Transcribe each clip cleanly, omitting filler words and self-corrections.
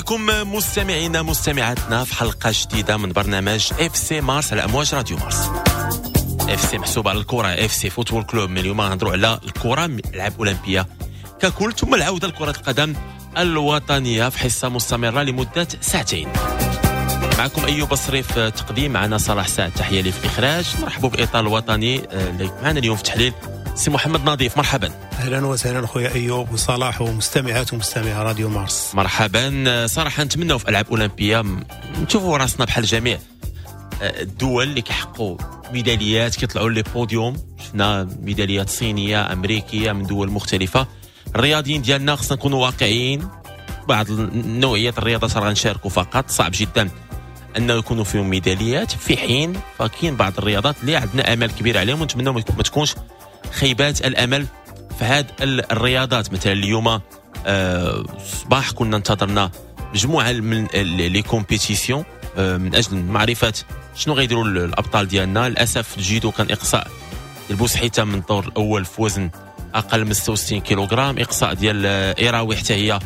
بكم مستمعينا مستمعاتنا في حلقة جديدة من برنامج FC مارس على امواج راديو مارس. FC محسوبة على الكره، FC football club. من اليوم غنهضروا على الكره، العاب اولمبيه ككل، ثم العودة لكرة القدم الوطنية في حصة مستمرة لمدة ساعتين. معكم ايوب بصري في التقديم، معنا صلاح سعد تحية لي في الاخراج. نرحبوا بالاطار الوطني اللي معنا اليوم في التحليل، سي محمد نظيف، مرحبا. اهلا وسهلا خويا ايوب وصلاح ومستمعات ومستمعي راديو مارس. مرحبا. صراحة نتمنوا في العاب اولمبيه نشوفوا راسنا بحال جميع الدول اللي كيحققوا ميداليات، كيطلعوا les podiums. شفنا ميداليات صينيه، امريكيه، من دول مختلفه. الرياضيين ديالنا خصنا نكونوا واقعيين، بعض نوعيات الرياضات راه غنشاركوا فقط، صعب جدا انه يكونوا فيهم ميداليات، في حين فكاين بعض الرياضات اللي عندنا امل كبير عليهم ونتمنوا ما تكونش خيبات الامل في هذه الرياضات. مثلا اليوم الصباح كنا انتظرنا مجموعة من les compétitions من اجل معرفة شنو غيديروا الابطال ديالنا. للاسف الجيدو كان اقصاء البوسحيته من الدور الاول في وزن اقل من 66 كيلوغرام، اقصاء ديال ايراوي حتى هي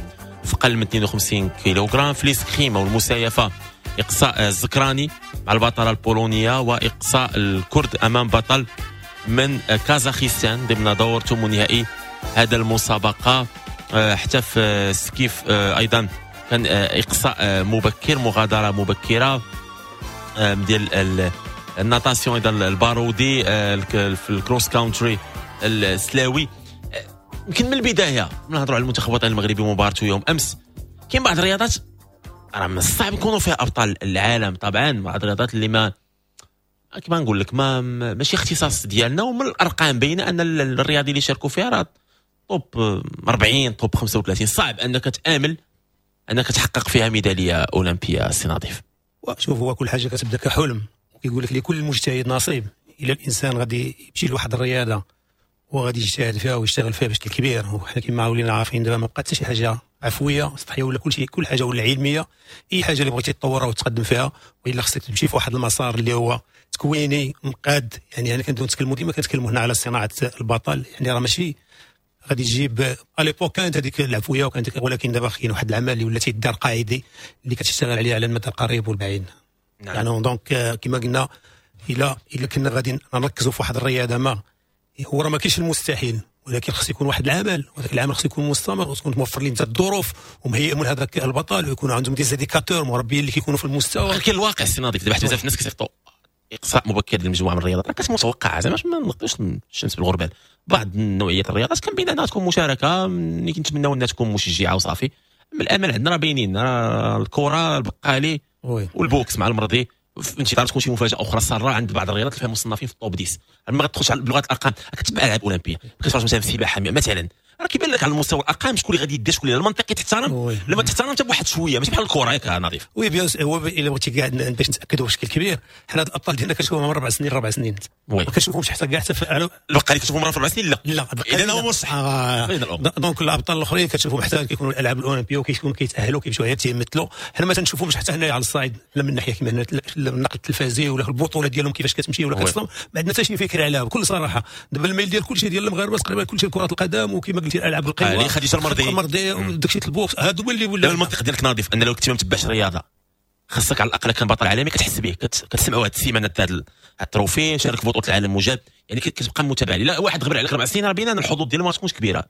في اقل من 52 كيلوغرام. في l'escrime او المسايفه اقصاء الزكراني مع البطلة البولونيه، واقصاء الكرد امام بطل من كازاخستان ضمن دور ثمن نهائي هذا المسابقة. حتى في skiff ايضا كان اقصاء مبكر، مغادرة مبكرة ديال ال natation ايضا البارودي، في ال cross country السلاوي. يمكن من البداية نهضروا على المنتخب الوطني المغربي ومبارته يوم امس. كاين بعض الرياضات راه من الصعب نكونوا فيها ابطال العالم، طبعا بعض الرياضات اللي ما كما نقول لك ما ماشي اختصاص ديالنا، ومن الارقام باينة ان الرياضي اللي شاركوا فيها راه top 40، top 35. صعب انك تامل انك تحقق فيها ميدالية اولمبيه. سي نظيف. شوف، هو كل حاجة كتبدا كحلم، وكيقول لك لكل مجتهد نصيب. الا الانسان غادي يمشي لواحد الرياضة وغادي يجتهد فيها ويشتغل فيها بشكل كبير، وحنا كما ولينا عارفين دابا ما بقات حتى شي حاجة عفوية سطحية ولا كل شيء، كل حاجة ولا علميه. اي حاجة اللي بغيتي تطورها وتقدم فيها والا خصك تمشي في واحد المسار اللي هو تكويني مقاد. يعني انا كنبداو نتكلموا ديما كنتكلموا هنا على صناعة البطل، يعني راه ماشي غادي تجيب à l'époque كانت هذيك العفوية وكانت، ولكن دابا كاين واحد العمل اللي ولا تيدار قاعدي اللي كتشتغل عليه على المدى القريب والبعيد. يعني donc كما قلنا الا كنا غادي نركزوا في واحد الرياضة، ما هو راه ما كاينش المستحيل، ولكن خص يكون واحد العمل، وهذاك العمل خص يكون مستمر وتكون توفر ليه انت الظروف ومهيئ من هذاك البطل، ويكون عندهم des éducateurs مربيين اللي كيكونوا في المستوى. ولكن الواقع السي نظيف دابا بزاف الناس كيصيفطوا اقصاء مبكر لمجموعة من الرياضات راه كانت متوقعه، زعما ما نغطيوش الشمس بالغربال. بعض النوعيات الرياضات كان بين انها تكون مشاركة اللي كنتمناو انها تكون مشجعه وصافي. اما الامل عندنا راه باينين، راه الكره، البقالي وال boxe مع المرضي، في انتظار تكون شي مفاجاة اخرى ساره عند بعض الرياضات اللي فيها مصنفين في ال top 10. ما غتدخلش بلغه الارقام، كتبع العاب اولمبيه، كتفرج مثلا في السباحة مثلا، راه كيبان لك على المستوى الارقام شكون اللي غادي يدير شكون اللي المنطقي تحترم، لما تحترم حتى بواحد شوية، ماشي بحال الكره ياك نظيف. oui bien، هو الا بغيتي كاع باش نتاكدوا بشكل كبير، حنا هاد الابطال ديالنا كنشوفهم 4 سنين 4 سنين، ما كنشوفهمش حتى كاع حتى البقالي كتشوفهم مرة في 4 سنين لا. لا. اذا هو مرشح. Donc الابطال الاخرين كتشوفهم حتى كيكونوا الالعاب الاولمبية وكيكونوا كيتاهلوا كيمشيو غير تيمثلوا. حنا ما تنشوفهمش حتى هنايا على الصعيد، لا من ناحية كما النقل التلفزي ولا البطولة ديالهم كيفاش كتمشي ولا كتصدم، ما عندنا حتى شي فكرة عليها بكل صراحه. دابا الميل ديال كلشي ديال المغاربة تقريبا كلشي كره القدم، وكما قلتي الالعاب القوى. خديجة المرضي. المرضي وداكشي ال boxe، هادو هما اللي ولا المنطق ديالك نظيف ان لو كنتي ما متبعش الرياضة خاصك على الاقل كان بطل عالمي كتحس به، كتسمعوا هاد السيمانة هذا ال trophée، شارك في بطوله العالم وجاب، يعني كتبقى متابع. لا واحد غبر عليك 4 سنين راه باينة الحظوظ ديالو ما تكونش كبيره.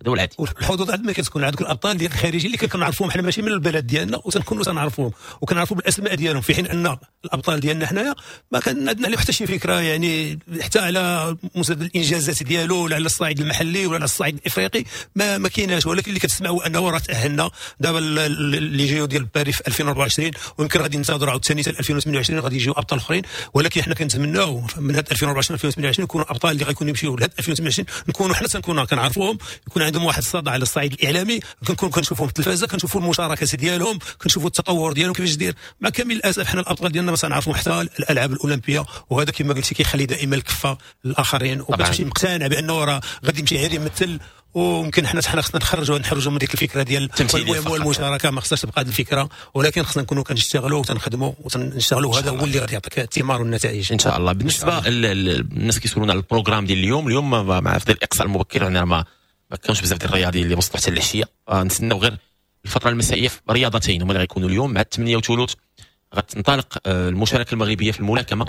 هذا هو العادي. الحظوظ عندما كتكون عندك الابطال ديال الخارجيين اللي كنعرفوهم حنا ماشي من البلد ديالنا وتنكونوا تنعرفوهم وكنعرفوا بالاسماء ديالهم، في حين ان الابطال ديالنا حنايا ما كان عندنا عليهم حتى شي فكره، يعني حتى على مستوى الانجازات ديالو ولا على الصعيد المحلي ولا على الصعيد الافريقي ما كايناش. ولكن اللي كتسمع هو انه راه تاهلنا دابا les JO ديال باريس في 2024، ويمكن غادي ننتظروا عاوتاني حتى 2028 غادي يجيو ابطال اخرين. ولكن حنا كنتمناو من هاد 2024 2028 يكونوا ابطال اللي غيكونوا يمشيو لهاد 2028، نكونوا حنا تنكونوا كنعرفوهم، يكون عندهم واحد الصدى على الصعيد الاعلامي، كنكون كنشوفوهم في التلفازه، كنشوفوا المشاركات ديالهم، كنشوفوا التطور ديالهم كيفاش دير. مع كامل الاسف حنا الابطال ديالنا ما تنعرفوا حتى الالعاب الاولمبيه، وهذا كما قلتي كيخلي دائما الكفة للاخرين، وكتمشي مقتنع بانه راه غادي يمشي غير يمثل. وممكن حنا خصنا نخرجوا من ديك الفكرة ديال المشاركه، ما خصهاش تبقى هذه الفكره، ولكن خصنا نكونوا كنشتغلوا وتنخدموا وتنشتغلوا، هذا هو اللي غادي يعطيك الثمار والنتائج. ان شاء الله. بالنسبة للناس كيسولونا على ال programme ديال اليوم، اليوم مع في الاقصاء المبكر يعني ما كانش بزاف ديال الرياضيين اللي وصلوا حتى العشيه، نتسناو غير الفترة المسائيه في رياضتين هما اللي غيكونوا اليوم. مع 8:20 غتنطلق المشاركة المغربية في الملاكمه،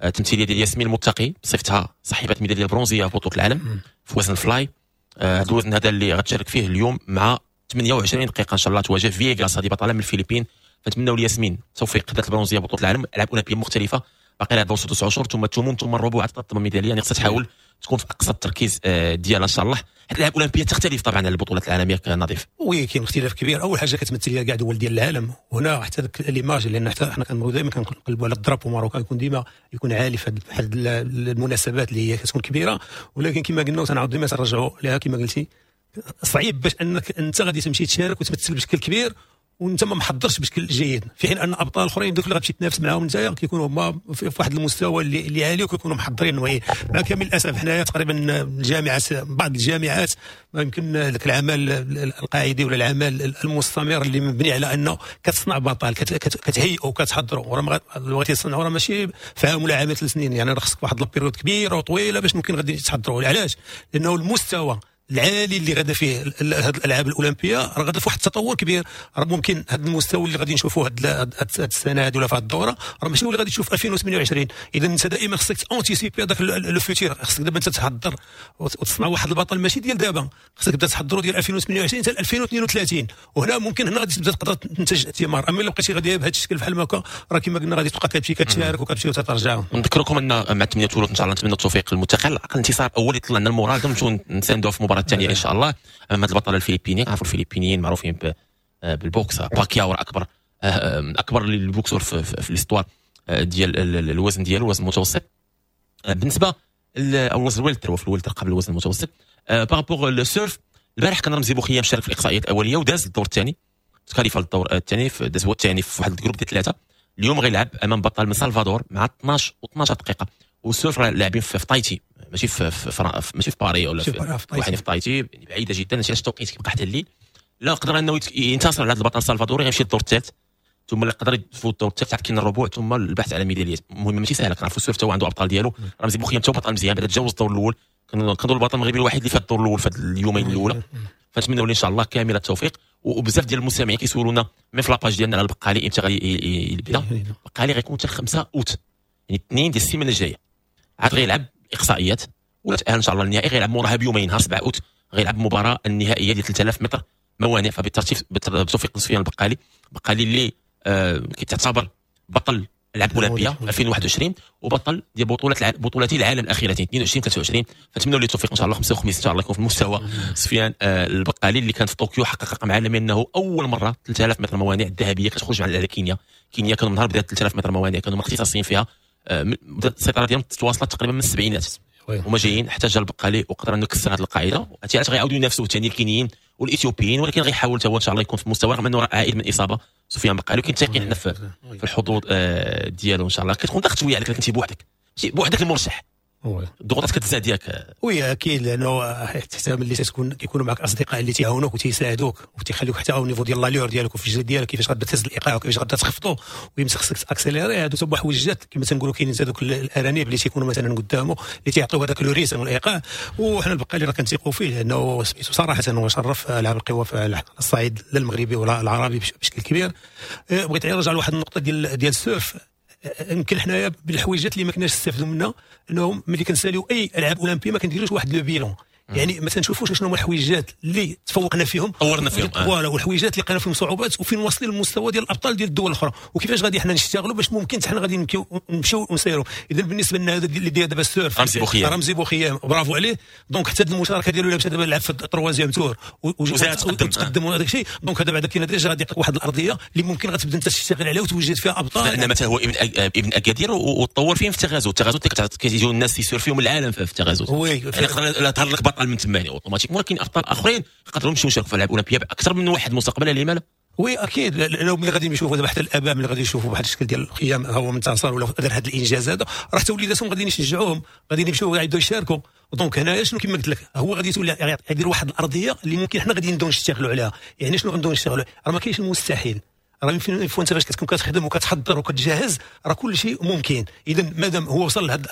التمثيلية ديال ياسمين المتقي بصفتها صاحبه الميداليه البرونزيه في بطوله العالم في وزن fly. هذا الوزن هذا اللي غتشارك فيه اليوم مع 28 دقيقة ان شاء الله تواجه فيغاس، هذه بطلة من الفلبين. فنتمنوا لياسمين توفيق، خدات البرونزيه بطوله العالم، العاب اولمبيه مختلفة، باقي لها دور 6 اشهر ثم الثمن ثم الربع عاد الميداليه، يعني خصها تحاول تكون في اقصى التركيز ديالها ان شاء الله. هذه الالعاب الاولمبية تختلف طبعا على البطولات العالمية كنظيف. oui، كاين اختلاف كبير. اول حاجة كتمثل لها كاع دول ديال العالم، وهنا حتى داك l'image، لان حتى حنا كنبغيو دائما كنقلبوا على ال drapeau marocain يكون ديما يكون عالي في هذه المناسبات اللي هي كتكون كبيره. ولكن كما قلنا وتنعاود ديما تنرجعوا لها، كما قلتي صعيب باش انك انت غادي تمشي تشارك وتمثل بشكل كبير وانت ما محضرش بشكل جيد، في حين ان ابطال اخرين دوك اللي غتمشي تنافس معاهم انت كيكونوا هما في واحد المستوى اللي عالي وكيكونوا محضرين. مع كامل الاسف حنايا تقريبا الجامعات، بعض الجامعات ما يمكن ذاك العمل القاعدي ولا العمل المستمر اللي مبني على انه كتصنع بطل، كتهيئ وكتحضروا، وراه بغيتي تصنعوا راه ماشي في عام ولا عامين 3 سنين، يعني راه خصك واحد la période كبيرة وطويلة باش ممكن غادي تحضروا. علاش؟ لانه المستوى العالي اللي غادا فيه هذه الالعاب الاولمبية راه غادا في واحد التطور كبير. راه ممكن هذا المستوى اللي غادي نشوفوه هذه السنة هذه ولا في هذه الدورة راه ماشي هو اللي غادي تشوف في 2028. اذا انت دائما خصك anticiper هذاك le futur، خصك دابا انت تحضر وتصنع واحد البطل ماشي ديال دابا، خصك تبدا تحضروا ديال 2028 حتى 2032، وهنا ممكن هنا غادي تبدا تقدر تنتج ثمار. اما الا بقيتي غادي بهذا الشكل بحال هكا راه كما قلنا غادي تبقى كتمشي كتشارك وكتمشي وتترجع. نذكركم ان مع 8 ان شاء الله نتمنى التوفيق للمتقي، على الاقل انتصار اول يطلع لنا ال moral نمشيو نساندوه في المباراة الثانية ان شاء الله امام هذا البطل الفلبيني. عرفوا الفلبينيين معروفين بال boxe، باكياو اكبر ال boxeur في l'histoire ديال الوزن ديالو، الوزن المتوسط بالنسبة او الوزن ال welter، في ال welter قبل الوزن المتوسط. par rapport ال surf، البارح كان رمزي بوخيام شارك في الاقصائيات الاولية وداز الدور الثاني، تكاليفا للدور الثاني، داز هو الثاني في واحد ال groupe ديال ثلاثه. اليوم غيلعب امام بطل من سلفادور مع 12 و12 دقيقه. وال surf لاعبين في تايتي، ماشي في باري ولا في تايتي، يعني بعيدة جدا. علاش التوقيت كيبقى حتى الليل. لا قدر انه ينتصر على هذا البطل السلفادوري غيمشي للدور الثالث، ثم اللي قدر يفوت الدور الثالث عاد كاين الربوع ثم البحث على ميداليات. المهم ماشي سهله، كنعرفوا ال surf هو عنده ابطال ديالو. رمزي بوخيام تا بطل مزيان بعدا تجاوز الدور الاول، كنظن البطل المغربي الوحيد اللي فات الدور الاول في اليومين الاولى. فنتمنوا ان شاء الله كامل التوفيق. وبزاف ديال المستمعين كيسولونا même في la page ديالنا على البقالي امتى غادي يبدا. البقالي غيكون حتى 5 اوت، يعني اثنين ديال السيمانة الجاية عاد غيلعب اقصائيات، ولا تاهل ان شاء الله النهائي غيلعب موراها بيومين، نهار 7 اوت غيلعب المباراة النهائية ديال 3000 متر موانع. فبالترتيب بتوفيق سفيان البقالي، البقالي اللي كيتعتبر بطل العاب اولمبيه 2021 وبطل ديال بطولتي العالم الاخيرتين 22 23. فنتمنوا له التوفيق ان شاء الله. خمسة وخميس ان شاء الله يكون في المستوى سفيان البقالي اللي كان في طوكيو حقق رقم عالمي انه اول مرة 3000 متر موانع الذهبية كتخرج على كينيا. كينيا كانوا من نهار بدات 3000 متر موانع كانوا اختصاصيين فيها، السيطرة ديالهم تواصلت تقريبا من السبعينات هما جايين، حتى جا البقالي وقدر انه يكسر هذه القاعده. هادشي علاش غيعاودوا ينافسوا ثاني الكينيين والاثيوبيين، ولكن غيحاول هو ان شاء الله يكون في المستوى رغم انه عائد من اصابه سفيان بقالي، ولكن تايقين حنا في الحظوظ ديالو ان شاء الله. كتكون ضغط شوية عليك كنتي بوحدك، بوحدك المرشح، الضغوطات كتزاد ياك؟ oui اكيد، لانه حتى ملي تكون كيكونوا معك اصدقاء اللي تيعاونوك وتيساعدوك وتيخليوك حتى au niveau ديال l'allure ديالك وفي الجري ديالك كيفاش غادا تهز الايقاع وكيفاش غادا تخفضو ويمسك خصك ت accélérer. هادو تا حويجات كما تنقولوا كاينين هذوك الارانب اللي تيكونوا مثلا قدامه اللي تيعطيو هذاك le rythme والايقاع. وحنا البقالي راه كنثيقوا فيه لانه صراحة هو شرف العاب القوى على الصعيد لا المغربي ولا العربي بشكل كبير. بغيت نرجع لواحد النقطة ديال ال surf. يمكن حنايا بالحويجات اللي ما كناش نستافدوا منها انه ملي كنساليو اي العاب اولمبيه ما كنديروش واحد le bilan، يعني ما تنشوفوش شنو هما الحويجات اللي تفوقنا فيهم طورنا فيهم. voilà، والحويجات اللي لقينا فيهم صعوبات وفين واصلين للمستوى ديال الابطال ديال الدول الاخرى وكيفاش غادي حنا نشتغلوا باش ممكن حنا غادي نمشيو ونسيروا. اذا بالنسبة لنا هذا اللي ديال دابا ال surf رمزي بوخيام، رمزي بوخيام برافو عليه. donc حتى المشاركة ديالو لابسه دابا لعب في ال troisième tour وتقدم وهذاك الشيء. donc هذا بعدا كاين déjà غادي يعطيك واحد الارضية اللي ممكن غتبدا انت تشتغل عليها وتوجد فيها ابطال. لان مثلا هو ابن اكادير وتطور فين في تغازوت. تغازوت كيجيو الناس يسيرفيو من العالم في تغازوت. oui. يعني يقدر ظهر لك بطل من تما يعني اوتوماتيك، ولكن ابطال اخرين يقدروا يمشيو يشاركوا في الالعاب الاولمبية باكثر من واحد مستقبلا، لما لا؟ oui اكيد، لو ملي غادي يشوفوا دابا حتى الاباء ملي غادي يشوفوا بواحد الشكل ديال القيام هو منتصر ولا دار هذا الانجاز هذا، راه حتى وليداتهم غادي يشجعوهم، غادي يمشيو يعيدوا يشاركوا. donc هنايا شنو كما قلت لك هو غادي تولي يدير واحد الارضية اللي ممكن حنا غادي نبداو نشتغلوا عليها. يعني شنو غنبداو نشتغلوا؟ راه ما كاينش المستحيل. راه يمكن انت فاش كتكون كتخدم وكتحضر وكتجهز راه كل شيء ممكن. اذا مادام هو وصل لهاد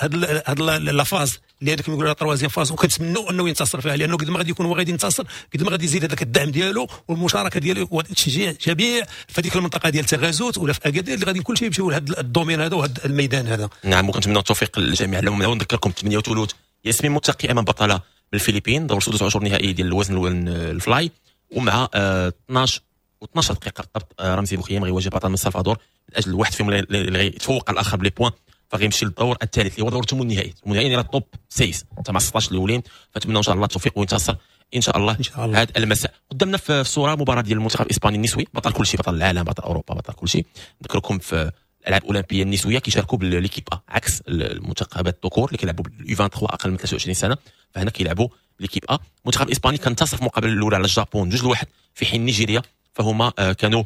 la phase اللي هذاك كيقولوا troisième phase، وكنتمنوا انه ينتصر فيها، لانه قد ما غادي يكون هو غادي ينتصر قد ما غادي يزيد هذاك الدعم ديالو والمشاركة ديالو والتشجيع جميع في هذيك المنطقة ديال تغازوت ولا في اكادير اللي غادي كل شيء يمشيو لهذا ال domaine هذا وهذا الميدان هذا. نعم، وكنتمنى التوفيق للجميع. نذكركم 8:20 ياسمين متقي امام بطلة من الفلبين، دور سدس عشر نهائي ديال الوزن ال fly، ومع 12 و12 دقيقة بالضبط رمزي بوخيام غيواجه بطل من السلفادور من اجل واحد فيهم اللي غيتفوق على الاخر ب les points، فغيمشي للدور الثالث اللي هو دور الثمن النهائي. الثمن النهائي راه top 6 تاع 16 الاولين. فنتمنى ان شاء الله التوفيق وينتصر ان شاء الله هذا المساء. قدامنا في الصورة مباراة ديال المنتخب الاسباني النسوي، بطل كل شيء، بطل العالم، بطل اوروبا، بطل كل شيء. نذكركم في الالعاب الاولمبية النسوية كيشاركوا ب l'équipe A، عكس المنتخبات الذكور اللي كيلعبوا بال U 23 اقل من 23 سنه، فهنا كيلعبوا l'équipe A. المنتخب الاسباني كان انتصر في المقابلة الاولى على الجابون 2-1، في حين نيجيريا فهما كانوا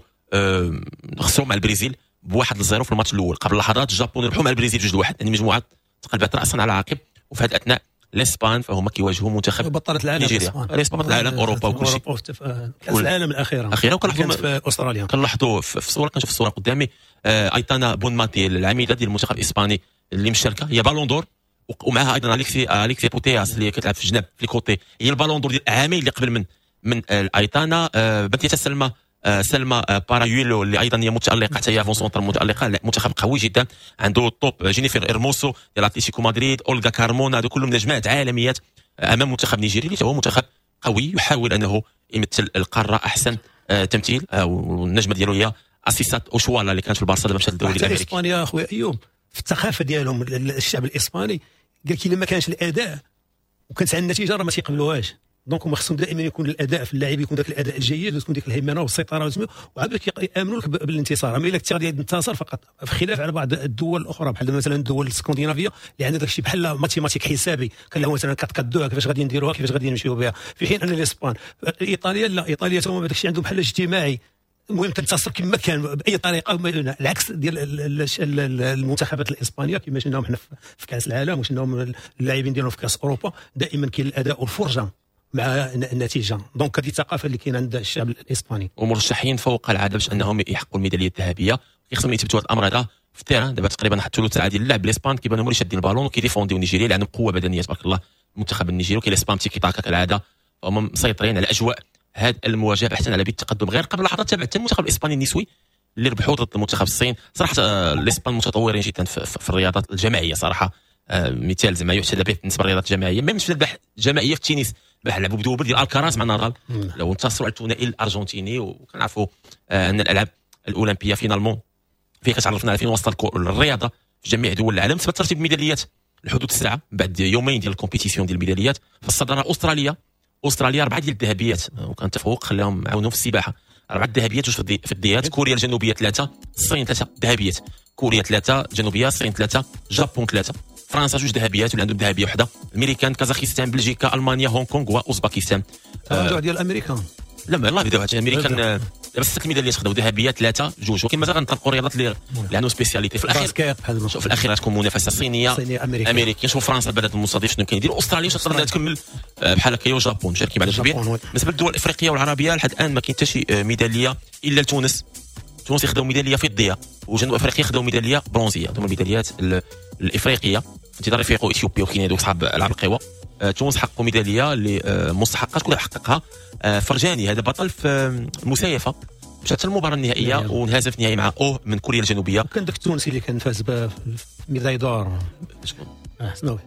خسروا مع البرازيل ب1-0 في الماتش الاول. قبل لحظات الجابون ربحوا مع البرازيل 2-1، يعني مجموعات تقلبت راسا على عقب. وفي هذه الاثناء الاسبان فهما كيواجهوا منتخب بطلة العالم نيجيريا، الاسبان بطل العالم، اوروبا وكل شيء، كاس العالم الاخيرة وكنلاحظوا في استراليا. كنلاحظوا في الصورة، كنشوف الصورة قدامي ايتانا بونماتي العميده ديال المنتخب الاسباني اللي مشاركة، هي ballon d'or، ومعها ايضا اليكسي بوتياس اللي كتلعب في الجناب في ال côté، هي ال ballon d'or ديال العامين اللي قبل من ايتانا. بنتي سلمى بارايولو اللي ايضا هي متالقه، حتى هي avant-centre متالقه، منتخب قوي جدا عنده top، جينيفر ارموسو ديال اتلتيكو مدريد، اولغا كارمونا، هادو كلهم نجمات عالميات امام منتخب نيجيري اللي هو منتخب قوي يحاول انه يمثل القارة احسن تمثيل. والنجمه ديالو هي اسيسات اوشوالا اللي كانت في البارسا، دابا مشات للدوري الامريكي. اسبانيا اخويا ايوب في الثقافة ديالهم الشعب الاسباني قال لك الا ما كانش الاداء وكانت عندنا النتيجة راه ما تيقبلوهاش. donc هما خصهم دائما يكون الاداء في اللاعب، يكون ذاك الاداء الجيد وتكون ديك الهيمنة والسيطرة، وعاد يامنوا لك بالانتصار. اما الا كنت غادي تنتصر فقط، في خلاف على بعض الدول الاخرى بحال مثلا الدول الاسكندنافية اللي عندها داك الشيء بحال mathématique حسابي، كنلعبوا مثلا 4 4 2 كيفاش غادي نديروها، كيفاش غادي نمشيو بها. في حين ان الاسبان، ايطاليا لا، ايطاليا هما داك الشيء عندهم بحال اجتماعي، المهم تنتصر كما كان باي طريقه. العكس ديال المنتخبات الاسبانية كما شفناهم حنا في كاس العالم وشفناهم اللاعبين ديالهم في كاس اوروبا، دائما كاين الاداء والفرجه مع النتيجة. donc هذه الثقافة اللي كاينه عند الشعب الاسباني. ومرشحين فوق العادة باش انهم يحققوا الميداليه الذهبية، خصهم يثبتوا هذا الامر هذا في ال terrain. دابا تقريبا حتى ثلث ساعة ديال اللعب الاسبان كيبانوا هما اللي شادين البالون وكيديفونديو نيجيريا اللي عندهم قوة بدنية تبارك الله. المنتخب النيجيري وكاين الاسبان تيكي تاكا كالعادة، فهم مسيطرين على اجواء هذه المواجهة بحثا على بيت التقدم. غير قبل لحظات تابعت المنتخب الاسباني النسوي اللي ربحوا ضد المنتخب الصين. صراحة الاسبان متطورين جدا في الرياضات الجماعية صراحة، مثال زعما يحتذى به بالنسبة للرياضات الجماعية. même شفنا البحث الجماعية في التنس، البارح لعبوا ب double ديال الكراز مع نادال، لو انتصروا على الثنائي الارجنتيني. وكنعرفوا ان الالعاب الاولمبية finalement فيها كتعرفنا على فين وصل الرياضة في جميع دول العالم. ثبت ترتيب الميداليات لحدود الساعة بعد يومين ديال ال compétition ديال الميداليات. فالصداره استراليا 4 ديال الذهبيات، وكان تفوق خلاهم عاونوا في السباحة، 4 ذهبيات وجوج فضيات. كوريا الجنوبية 3، الصين 3 ذهبيات، كوريا 3 جنوبيه، الصين 3، جابون 3، فرنسا 2 ذهبيات واللي عندهم ذهبية وحده، الامريكان، كازاخستان، بلجيكا، المانيا، هونغ كونغ واوزباكستان. تراجع ديال الامريكان لا ما الله بداو حتى الامريكان دابا 6 الميداليات خداو ذهبية 3 2، ولكن مازال غنطلقوا الرياضات اللي عندهم spécialité. في الاخير شوف في الاخير غتكون منافسه صينية امريكية. شوف فرنسا البلد المستضيف شنو كيدير، استراليا تقدر تكمل بحال هكا، وجابون مشاركين بعد كبير. بالنسبة للدول الافريقية والعربية لحد الان ما كاين حتى شي ميدالية الا لتونس. تونس خداو ميدالية فضية، وجنوب افريقيا خداو ميدالية برونزيه. هما الميداليات الافريقية. انتظار يفيقوا اثيوبيا وكينيا دوك صحاب العاب القوى. تونس حققوا ميدالية اللي مستحقه، شكون حققها؟ فرجاني، هذا بطل في المسايفه، مشى حتى المباراة النهائية وانهزم في النهائي مع اوه من كوريا الجنوبية. وكان داك التونسي اللي كان فاز ب médaille d'or، شكون؟ حسناوي.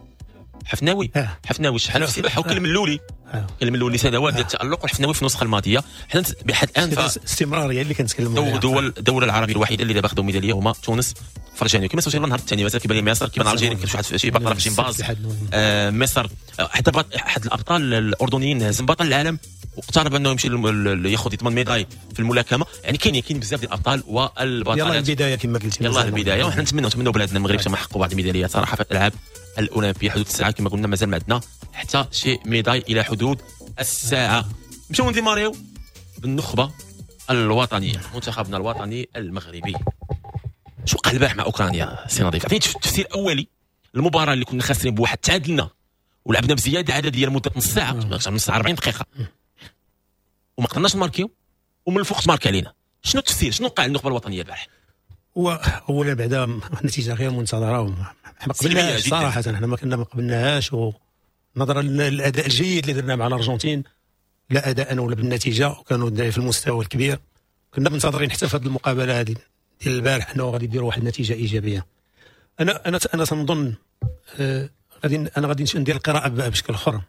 حفناوي حفناوي شحال في السباحة، وكان الملولي، كان الملولي سنوات ديال التالق، والحفناوي في النسخة الماضية. حنا بحد الان استمرارية اللي كنتكلموا عليها. الدولة العربية الوحيدة اللي دابا خداو ميدالية هما تونس فرجاني. كما سوينا النهار الثاني مثلا كيبان لي مصر، كيبان الجيري، كاين شي واحد شي بطل في جيمباز مصر، حتى احد الابطال الاردنيين هزم بطل العالم واقترب انه يمشي ياخذ يضمن médaille في الملاكمة. يعني كاين بزاف ديال الابطال والبطلات. يلاه البداية كما قلتي، يلاه البداية، وحنا نتمنوا بلادنا المغرب تما حققوا بعض الميداليات صراحة في الالعاب الاولمبية. حدود الساعة كما قلنا مازال ما عندنا حتى شي médaille الى حدود الساعة. نمشيو نديماريو بالنخبه الوطنية، منتخبنا الوطني المغربي. شو وقع البارح مع اوكرانيا سي نظيف؟ عطيني تفسير اولي المباراة اللي كنا خاسرين بواحد، تعادلنا ولعبنا بزيادة عددية لمدة نص ساعة، نص ساعة 40 دقيقة، وما قدرناش نماركيو، ومن الفوق تمارك علينا. شنو التفسير؟ شنو وقع للنخبه الوطنية البارح؟ هو اولا بعدا نتيجة غير منتظره، ما قبلناهاش صراحه، حنا ما كنا ما قبلناهاش، ونظرا للاداء الجيد اللي درنا مع الارجنتين لا اداء ولا بالنتيجة، وكانوا الدراري في المستوى الكبير، كنا منتظرين حتى في هذه المقابلة هذه ديال البارح انه غادي يديروا واحد النتيجة ايجابية. انا تنظن غادي ندير القراءة بشكل اخر.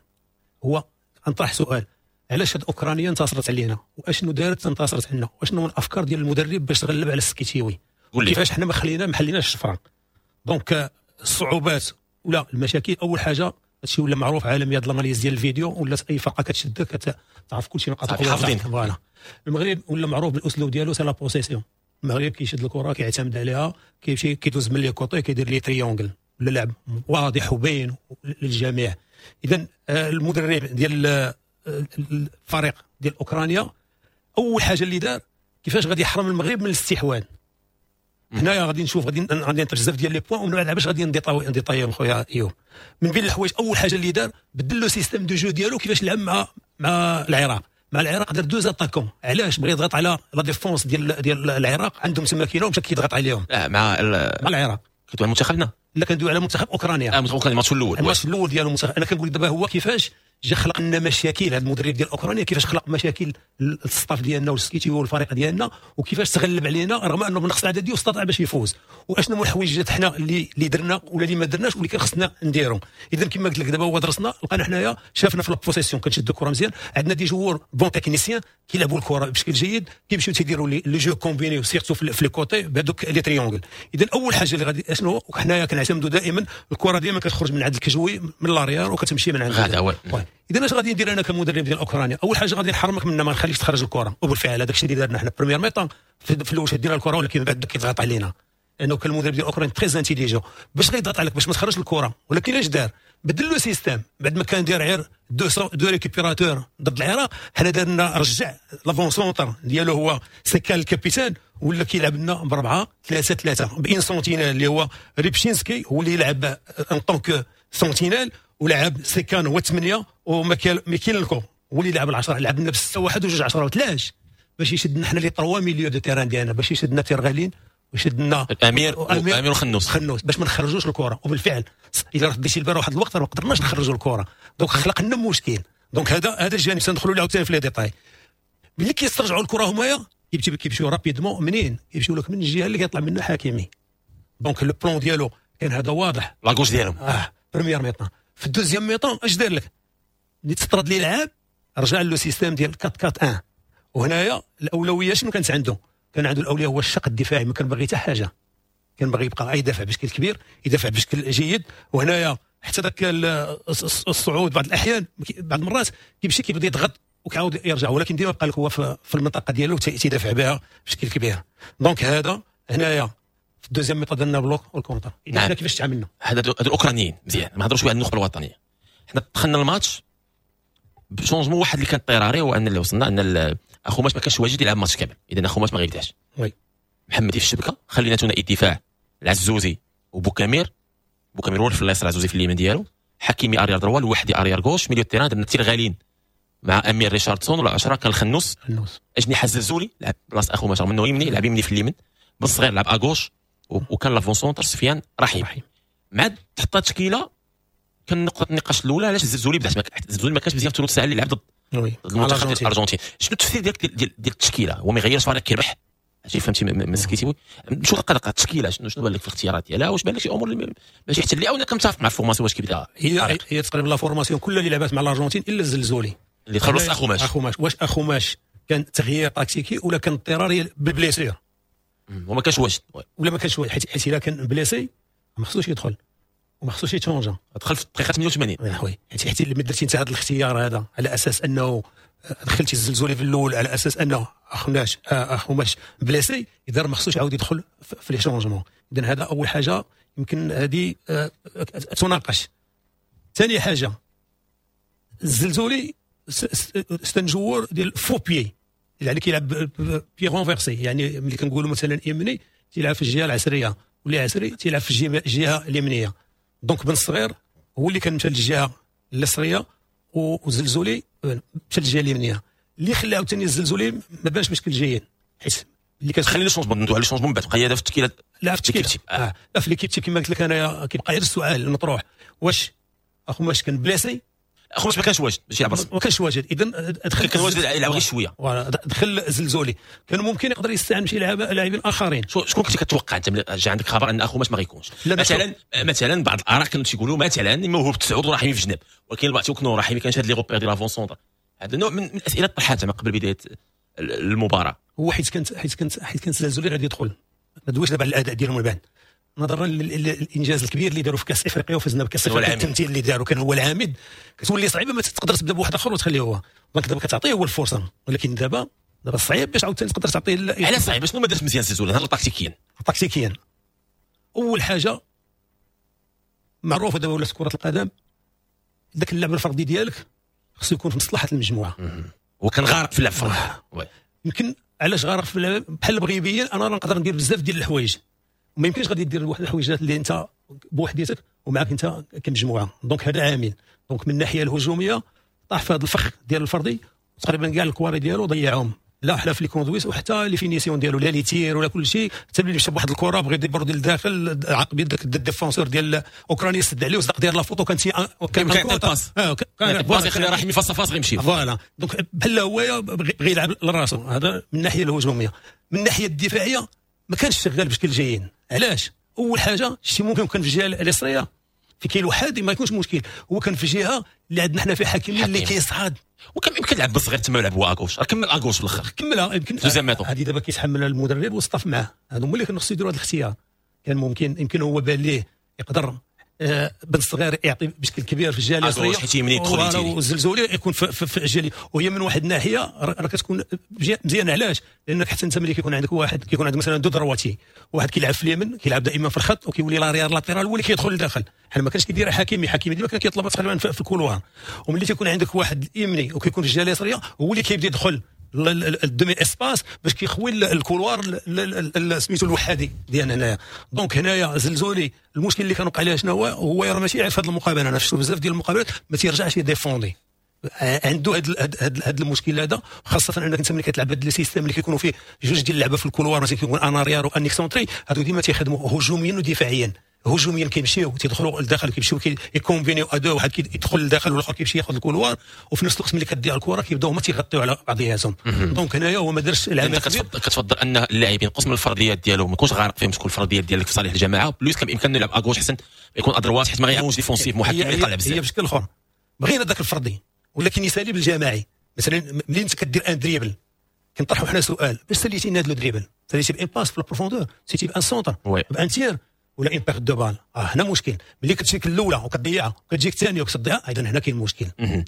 هو نطرح سؤال، علاش هاد اوكرانيا انتصرت علينا؟ واشنو دارت انتصرت علينا؟ واشنو من الافكار ديال المدرب باش تغلب على السكيتيوي؟ كيفاش حنا ما خليناش الشفرة؟ donc الصعوبات ولا المشاكل، اول حاجة هادشي ولا معروف عالميا، هاد l'analyse ديال الفيديو ولات اي فرقه كتشدك كتعرف كلشي نقاط القوة. voilà، المغرب ولا معروف بالاسلوب ديالو، c'est la possession. المغرب كيشد الكره، كيعتمد عليها، كيمشي كيدوز من les côtés، كيدير les triangles، ولا لعب واضح وباين للجميع. اذا المدرب ديال الفريق ديال اوكرانيا اول حاجة اللي دار، كيفاش غادي يحرم المغرب من الاستحواذ. هنايا غادي نشوف، غادي نطرح بزاف ديال les points، ومن بعد باش غادي نديطايهم خويا ايوب. من بين الحوايج، اول حاجة اللي دار، بدل le système de jeu ديالو، كيفاش لعب مع العراق. دار deux attaquants. علاش؟ بغى يضغط على la défense ديال العراق، عندهم تما كيلو، مشى كيضغط عليهم. لا، مع مع العراق. كنتو على منتخبنا؟ لا، كندوي على منتخب اوكرانيا. اه، منتخب اوكرانيا، الماتش الاول. الماتش الاول ديالو المنتخب. انا كنقول دابا هو كيفاش جا خلق لنا مشاكل هذا المدرب ديال اوكرانيا، كيفاش خلق مشاكل ال staff ديالنا والسكيتي والفريق ديالنا، وكيفاش تغلب علينا رغم انه بنقص العدد ديالو استطاع باش يفوز، واشنو هما الحوايج حنا اللي درنا ولا اللي ما درناش واللي كان خصنا نديرو. اذا كما قلت لك، دابا هو درسنا، لقينا حنايا شافنا في la possession كنشدوا الكره مزيان، عندنا des joueurs bons techniciens كيلعبوا الكره بشكل جيد، كيمشيو تيديروا les jeux combinés surtout في les côtés بهذوك les triangles. اذا اول حاجة اللي غادي اشنو، حنايا كنعتمدوا دائما الكره ديما كتخرج من عند الكجوي من l'arrière وكتمشي من عند غادا. اذا اش غادي ندير انا كمدرب ديال اوكرانيا؟ اول حاجة غادي نحرمك منها، ما نخليكش تخرج الكره. وبالفعل هذاك الشيء اللي درنا حنا، première mi-temps في الاول شدينا الكره، ولكن بعد كيضغط علينا، لانه كان المدرب ديال اوكرانيا très intelligent باش غيضغط عليك باش ما تخرجش الكره. ولكن اش دار؟ بدل le système. بعد ما كان داير غير deux récupérateurs ضد العراق، حنا درنا رجع l'avant-centre ديالو هو سيكان ال capitaine، ولا كيلعب لنا ب4-3-3 ب une sentinelle اللي هو ريبشينسكي، هو اللي يلعب en tant que sentinelle، ولعب سيكان هو 8، وميكيلنكو هو اللي لعب 10. لعب لنا ب6-1 و2-10. وعلاش؟ باش يشدنا حنا les trois milieux de terrain ديالنا، باش يشدنا تيرغالين ويشدنا الامير امير وخنوس. خنوس، باش ما نخرجوش الكره. وبالفعل الا رديتي البال، واحد الوقت ما قدرناش نخرجوا الكره، donc خلق لنا مشكل. donc هذا الجانب سندخلوا له عاوتاني في les détails. ملي كيسترجعوا الكره همايا كيمشيو rapidement. منين كيمشيو لك؟ من الجهة اللي كيطلع منها حكيمي. donc le plan ديالو كان هذا واضح. la gauche ديالهم. اه، première mi-temps. في ال deuxième mi-temps اش دار لك؟ ملي تطرد لي لعاب رجع le système ديال 4-4-1. وهنايا الاولوية شنو كانت عنده؟ كان عنده الاولوية هو الشق الدفاعي، ما كان باغي حتى حاجه، كان باغي يبقى يدافع بشكل كبير، يدافع بشكل جيد. وهنايا حتى ذاك الصعود بعض الاحيان، بعض المرات كيمشي كيبدا يضغط وكيعاود يرجع، ولكن ديما بقى لك هو في المنطقة ديالو تيدافع بها بشكل كبير. donc هذا هنايا في ال deuxième mi-temps درنا bloc وال contre. نعم. كيفاش تعاملنا؟ هذا الاوكرانيين مزيان، ما نهضروش شوية على النخبة الوطنيه. حنا دخلنا الماتش ب changement واحد اللي كان اضطراري، هو ان اللي وصلنا ان اخوماش ما كانش واجد يلعب ماتش كامل، اذا اخوماش ما غيبداش. محمدي في الشبكه، خلينا ثنائي الدفاع العزوزي وبوكامير، بوكامير هو في اليسار، العزوزي في اليمين ديالو، حكيمي arrière droit، الوحدي arrière gauche. milieu terrain درنا تيرغالين مع امير ريشاردسون، ولا 10 كان الخنوس. الخنوس. اجنحة الزلزولي لعب بلاصة اخوماش منه يمني، لعب يمني في اليمين، بن صغير لعب à gauche، وكان l'avant-centre سفيان رحيم. رحيم. مع تحط تشكيله كان نقطة النقاش الاولى، علاش الزلزولي بدات؟ الزلزولي ما كانش مزيان في ثلث ساعة اللي لعب ضد المنتخب ديال الارجنتين. شنو التفسير ديالك ديال التشكيله؟ هو ما يغيرش، فريق كيربح، هادشي فهمتي من سكيتي. شو دقه دقه التشكيله، شنو بان لك في الاختيارات ديالها؟ واش بان لك شي امور اللي ماشي حتى اللي او انا كنتفق مع ال formation واش كيبدا؟ هي تقريبا la formation كلها اللي لعبات مع الارجنتين الا الزلزولي. اللي دخل وسط اخوماش. اخوماش. واش اخوماش كان تغيير تكتيكي ولا كان اضطراري بال blessure؟ وما كانش واجد. ولا ما كانش واجد، حيت الا كان blessé ما خصوش يدخل وما خصوش يتشونجا. دخل في الدقيقة 88. oui، حيت لما درتي انت هذا الاختيار هذا على اساس انه دخلتي الزلزولي في الاول على اساس انه اخوماش blessé، اذا ما خصوش يعاود يدخل في les changements. اذا هذا اول حاجة يمكن هذه تناقش. ثاني حاجه، الزلزولي c'est un joueur ديال faux pied، يعني كيلعب pied renversé، يعني ملي كنقولوا مثلا يمني تيلعب في الجهة العسريه، واللي عسري تيلعب في الجهة اليمنيه. donc بن الصغير هو اللي كان مشى للجهة اليسريه وزلزولي مشى للجهة اليمنيه، اللي خلى عاوتاني الزلزولي ما بانش بشكل جيد حيت اللي كتخلي les changements، ندوي على les changements من بعد، بقى هذا في التشكيلة. لا في التشكيلة، لا في l'équipe type كما قلت لك انايا كيبقى غير السؤال المطروح، واش اخوماش كان blessé؟ اخوماش ما كانش واجد باش يلعب، ما كانش واجد. اذا دخل، كان واجد يلعب غير شوية، voilà دخل زلزولي، كان ممكن يقدر يستعمل شي لاعبين اخرين. شكون كنت كتوقع انت ملي جا عندك خبر ان اخوماش ما غيكونش؟ مثلا بعض الاراء كانوا تيقولوا مثلا موهوب تسعود ورحيمي في جنب، ولكن البعض تيقولوا رحيمي كان شاد les repères ديال l'avant-centre. هذا نوع من الاسئلة طرحتها ما قبل بداية المباراة. هو حيت كان زلزولي غادي يدخل، ما دويش دابا على الاداء ديالهم من بعد، نظرا للانجاز الكبير اللي داروا في كاس افريقيا وفزنا بكاس افريقيا، التمثيل اللي داروا كان هو العامد، كتولي صعيبة ما تقدر تبدا بواحد اخر وتخليه هو. donc دابا كتعطيه هو الفرصة، ولكن دابا صعيب باش عاوتاني تقدر تعطيه. علاش صعيب؟ شنو ما درت مزيان زلزولي هذا تكتيكيا؟ تكتيكيا اول حاجة معروفة دابا ولات كره القدم، ذاك اللعب الفردي ديالك خصو يكون في مصلحة المجموعة. وكان غارق في اللعب الفردي. يمكن علاش غارق في اللعب؟ بحال بغي يبين انا نقدر ندير بزاف ديال الحوايج، وما يمكنش غادي دير واحد الحويجات اللي انت بوحديتك ومعك انت كمجموعة. donc هذا عامل. donc من الناحية الهجومية طاح في هذا الفخ ديال الفردي، تقريبا كاع الكواري ديالو ضيعهم، لا حلا في les conduites وحتى les finitions ديالو، لا les tirs ولا كل شيء. حتى ملي مشى بواحد الكره بغى يديبوردي للداخل، عقب يدك ال défenseur ديال اوكرانيا سد عليه وصدق ديال la faute، وكان كان كان passe، كان passe يخلي رحيمي face à face غيمشي. voilà، donc بحال هو بغى يلعب لراسو. هذا من الناحية الهجومية. من الناحية الدفاعية ما كانش شغال بشكل جيد. علاش؟ اول حاجة شي ممكن كان في الجهة اليسريه في كاين وحدي ما يكونش مشكل، هو كان في جهة اللي عندنا حنا في حكيمي اللي كيصعد، وكان يمكن يلعب بالصغير تما يلعب هو à gauche، كمل à gauche في الاخر. كملها يمكن. هذه دابا كيتحملها المدرب وال staff معاه، هادو هما اللي كانوا خصو يديروا هذا الاختيار. كان ممكن يمكن هو بان ليه يقدر بن الصغير يعطي بشكل كبير في الجهة اليسريه، حيت يمين يدخل والزلزولي يكون في الجهة، وهي من واحد الناحية راه كتكون مزيانه. علاش؟ لانك حتى انت ملي كيكون عندك واحد، كيكون عندك مثلا deux droitiers، واحد كيلعب في اليمين كيلعب دائما في الخط وكيولي l'arrière latéral هو اللي كيدخل لداخل، حنا ما كانش كيدير حكيمي، حكيمي ديما كان كيطلب تقريبا في ال couloir. وملي تيكون عندك واحد يمني وكيكون في الجهة اليسريه هو اللي كيبدا يدخل ال demi-espace باش كيخوي ال couloir سميتو الوحدي ديالنا هنايا. donc هنايا زلزولي المشكل اللي كان وقع عليه شنو هو؟ هو راه ماشي في هذه المقابلة، انا شفت بزاف ديال المقابلات ما تيرجعش يديفوندي، عنده هذا المشكل هذا، خاصة انك انت ملي كتلعب هذا ال système اللي كيكونوا فيه جوج ديال اللعبة في ال couloir، مثلا كيكون un arrière و un excentré، هادو ديما تيخدموا هجوميا ودفاعيا. هجوميا كيمشيو تيدخلوا لداخل، كيمشيو يكومبينيو à deux، واحد كيدخل لداخل والاخر كيمشي ياخذ ال couloir، وفي نفس الوقت ملي كدير الكره كيبداو هما تيغطيو على بعضياتهم. donc هنايا هو ما دارش العمل. كتفضل ان اللاعبين ينقص من الفرديات ديالو، ما يكونش غارق فيهم، تكون الفرديات ديالك في صالح الجماعة، plus كان بامكانه يلعب à gauche احسن يكون à droite، حيت ما غيعاونش défensif محكم يطلع بزاف. هي بشكل اخر بغينا ذاك الفردي ولكن يسالي بالجماعي. مثلا ملي انت كدير un dribble كنطرحوا حنا سؤال، باش ساليتي هذا le dribble؟ ساليتي ب une passe في ال profondeur، ساليتي ب un centre، ب un tir، ولا une perte de balle؟ هنا مشكل. ملي كتجيك الاولى وكتضيعها وكتجيك الثانية وكتضيعها، ايضا هنا كاين مشكل. مارس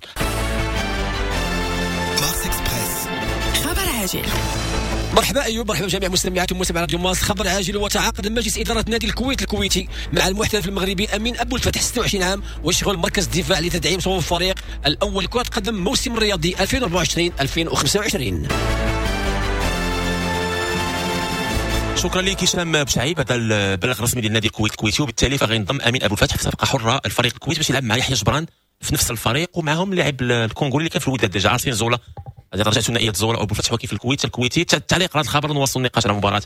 اكسبريس، خبر عاجل. مرحبا ايوب، مرحبا بجميع مستمعات ومستمعي راديو مارس. خبر عاجل، وتعاقد مجلس ادارة نادي الكويت الكويتي مع المحترف المغربي امين ابو الفتح، 26 عام، ويشغل مركز الدفاع لتدعيم صفوف الفريق الاول لكرة قدم موسم الرياضي 2024 2025. شكرا لك هشام بوشعيب. هذا البلاغ الرسمي ديال نادي الكويت الكويتي، وبالتالي فغينضم امين ابو الفتح في صفقة حره الفريق الكويت باش يلعب مع يحيى جبران في نفس الفريق، ومعهم اللاعب الكونغولي اللي كان في الوداد déjà ارسين زولا. هذه رجعت ثنائية زولا ابو الفتح وكيف الكويت الكويتي. التعليق على هذا الخبر، نواصل النقاش على مباراة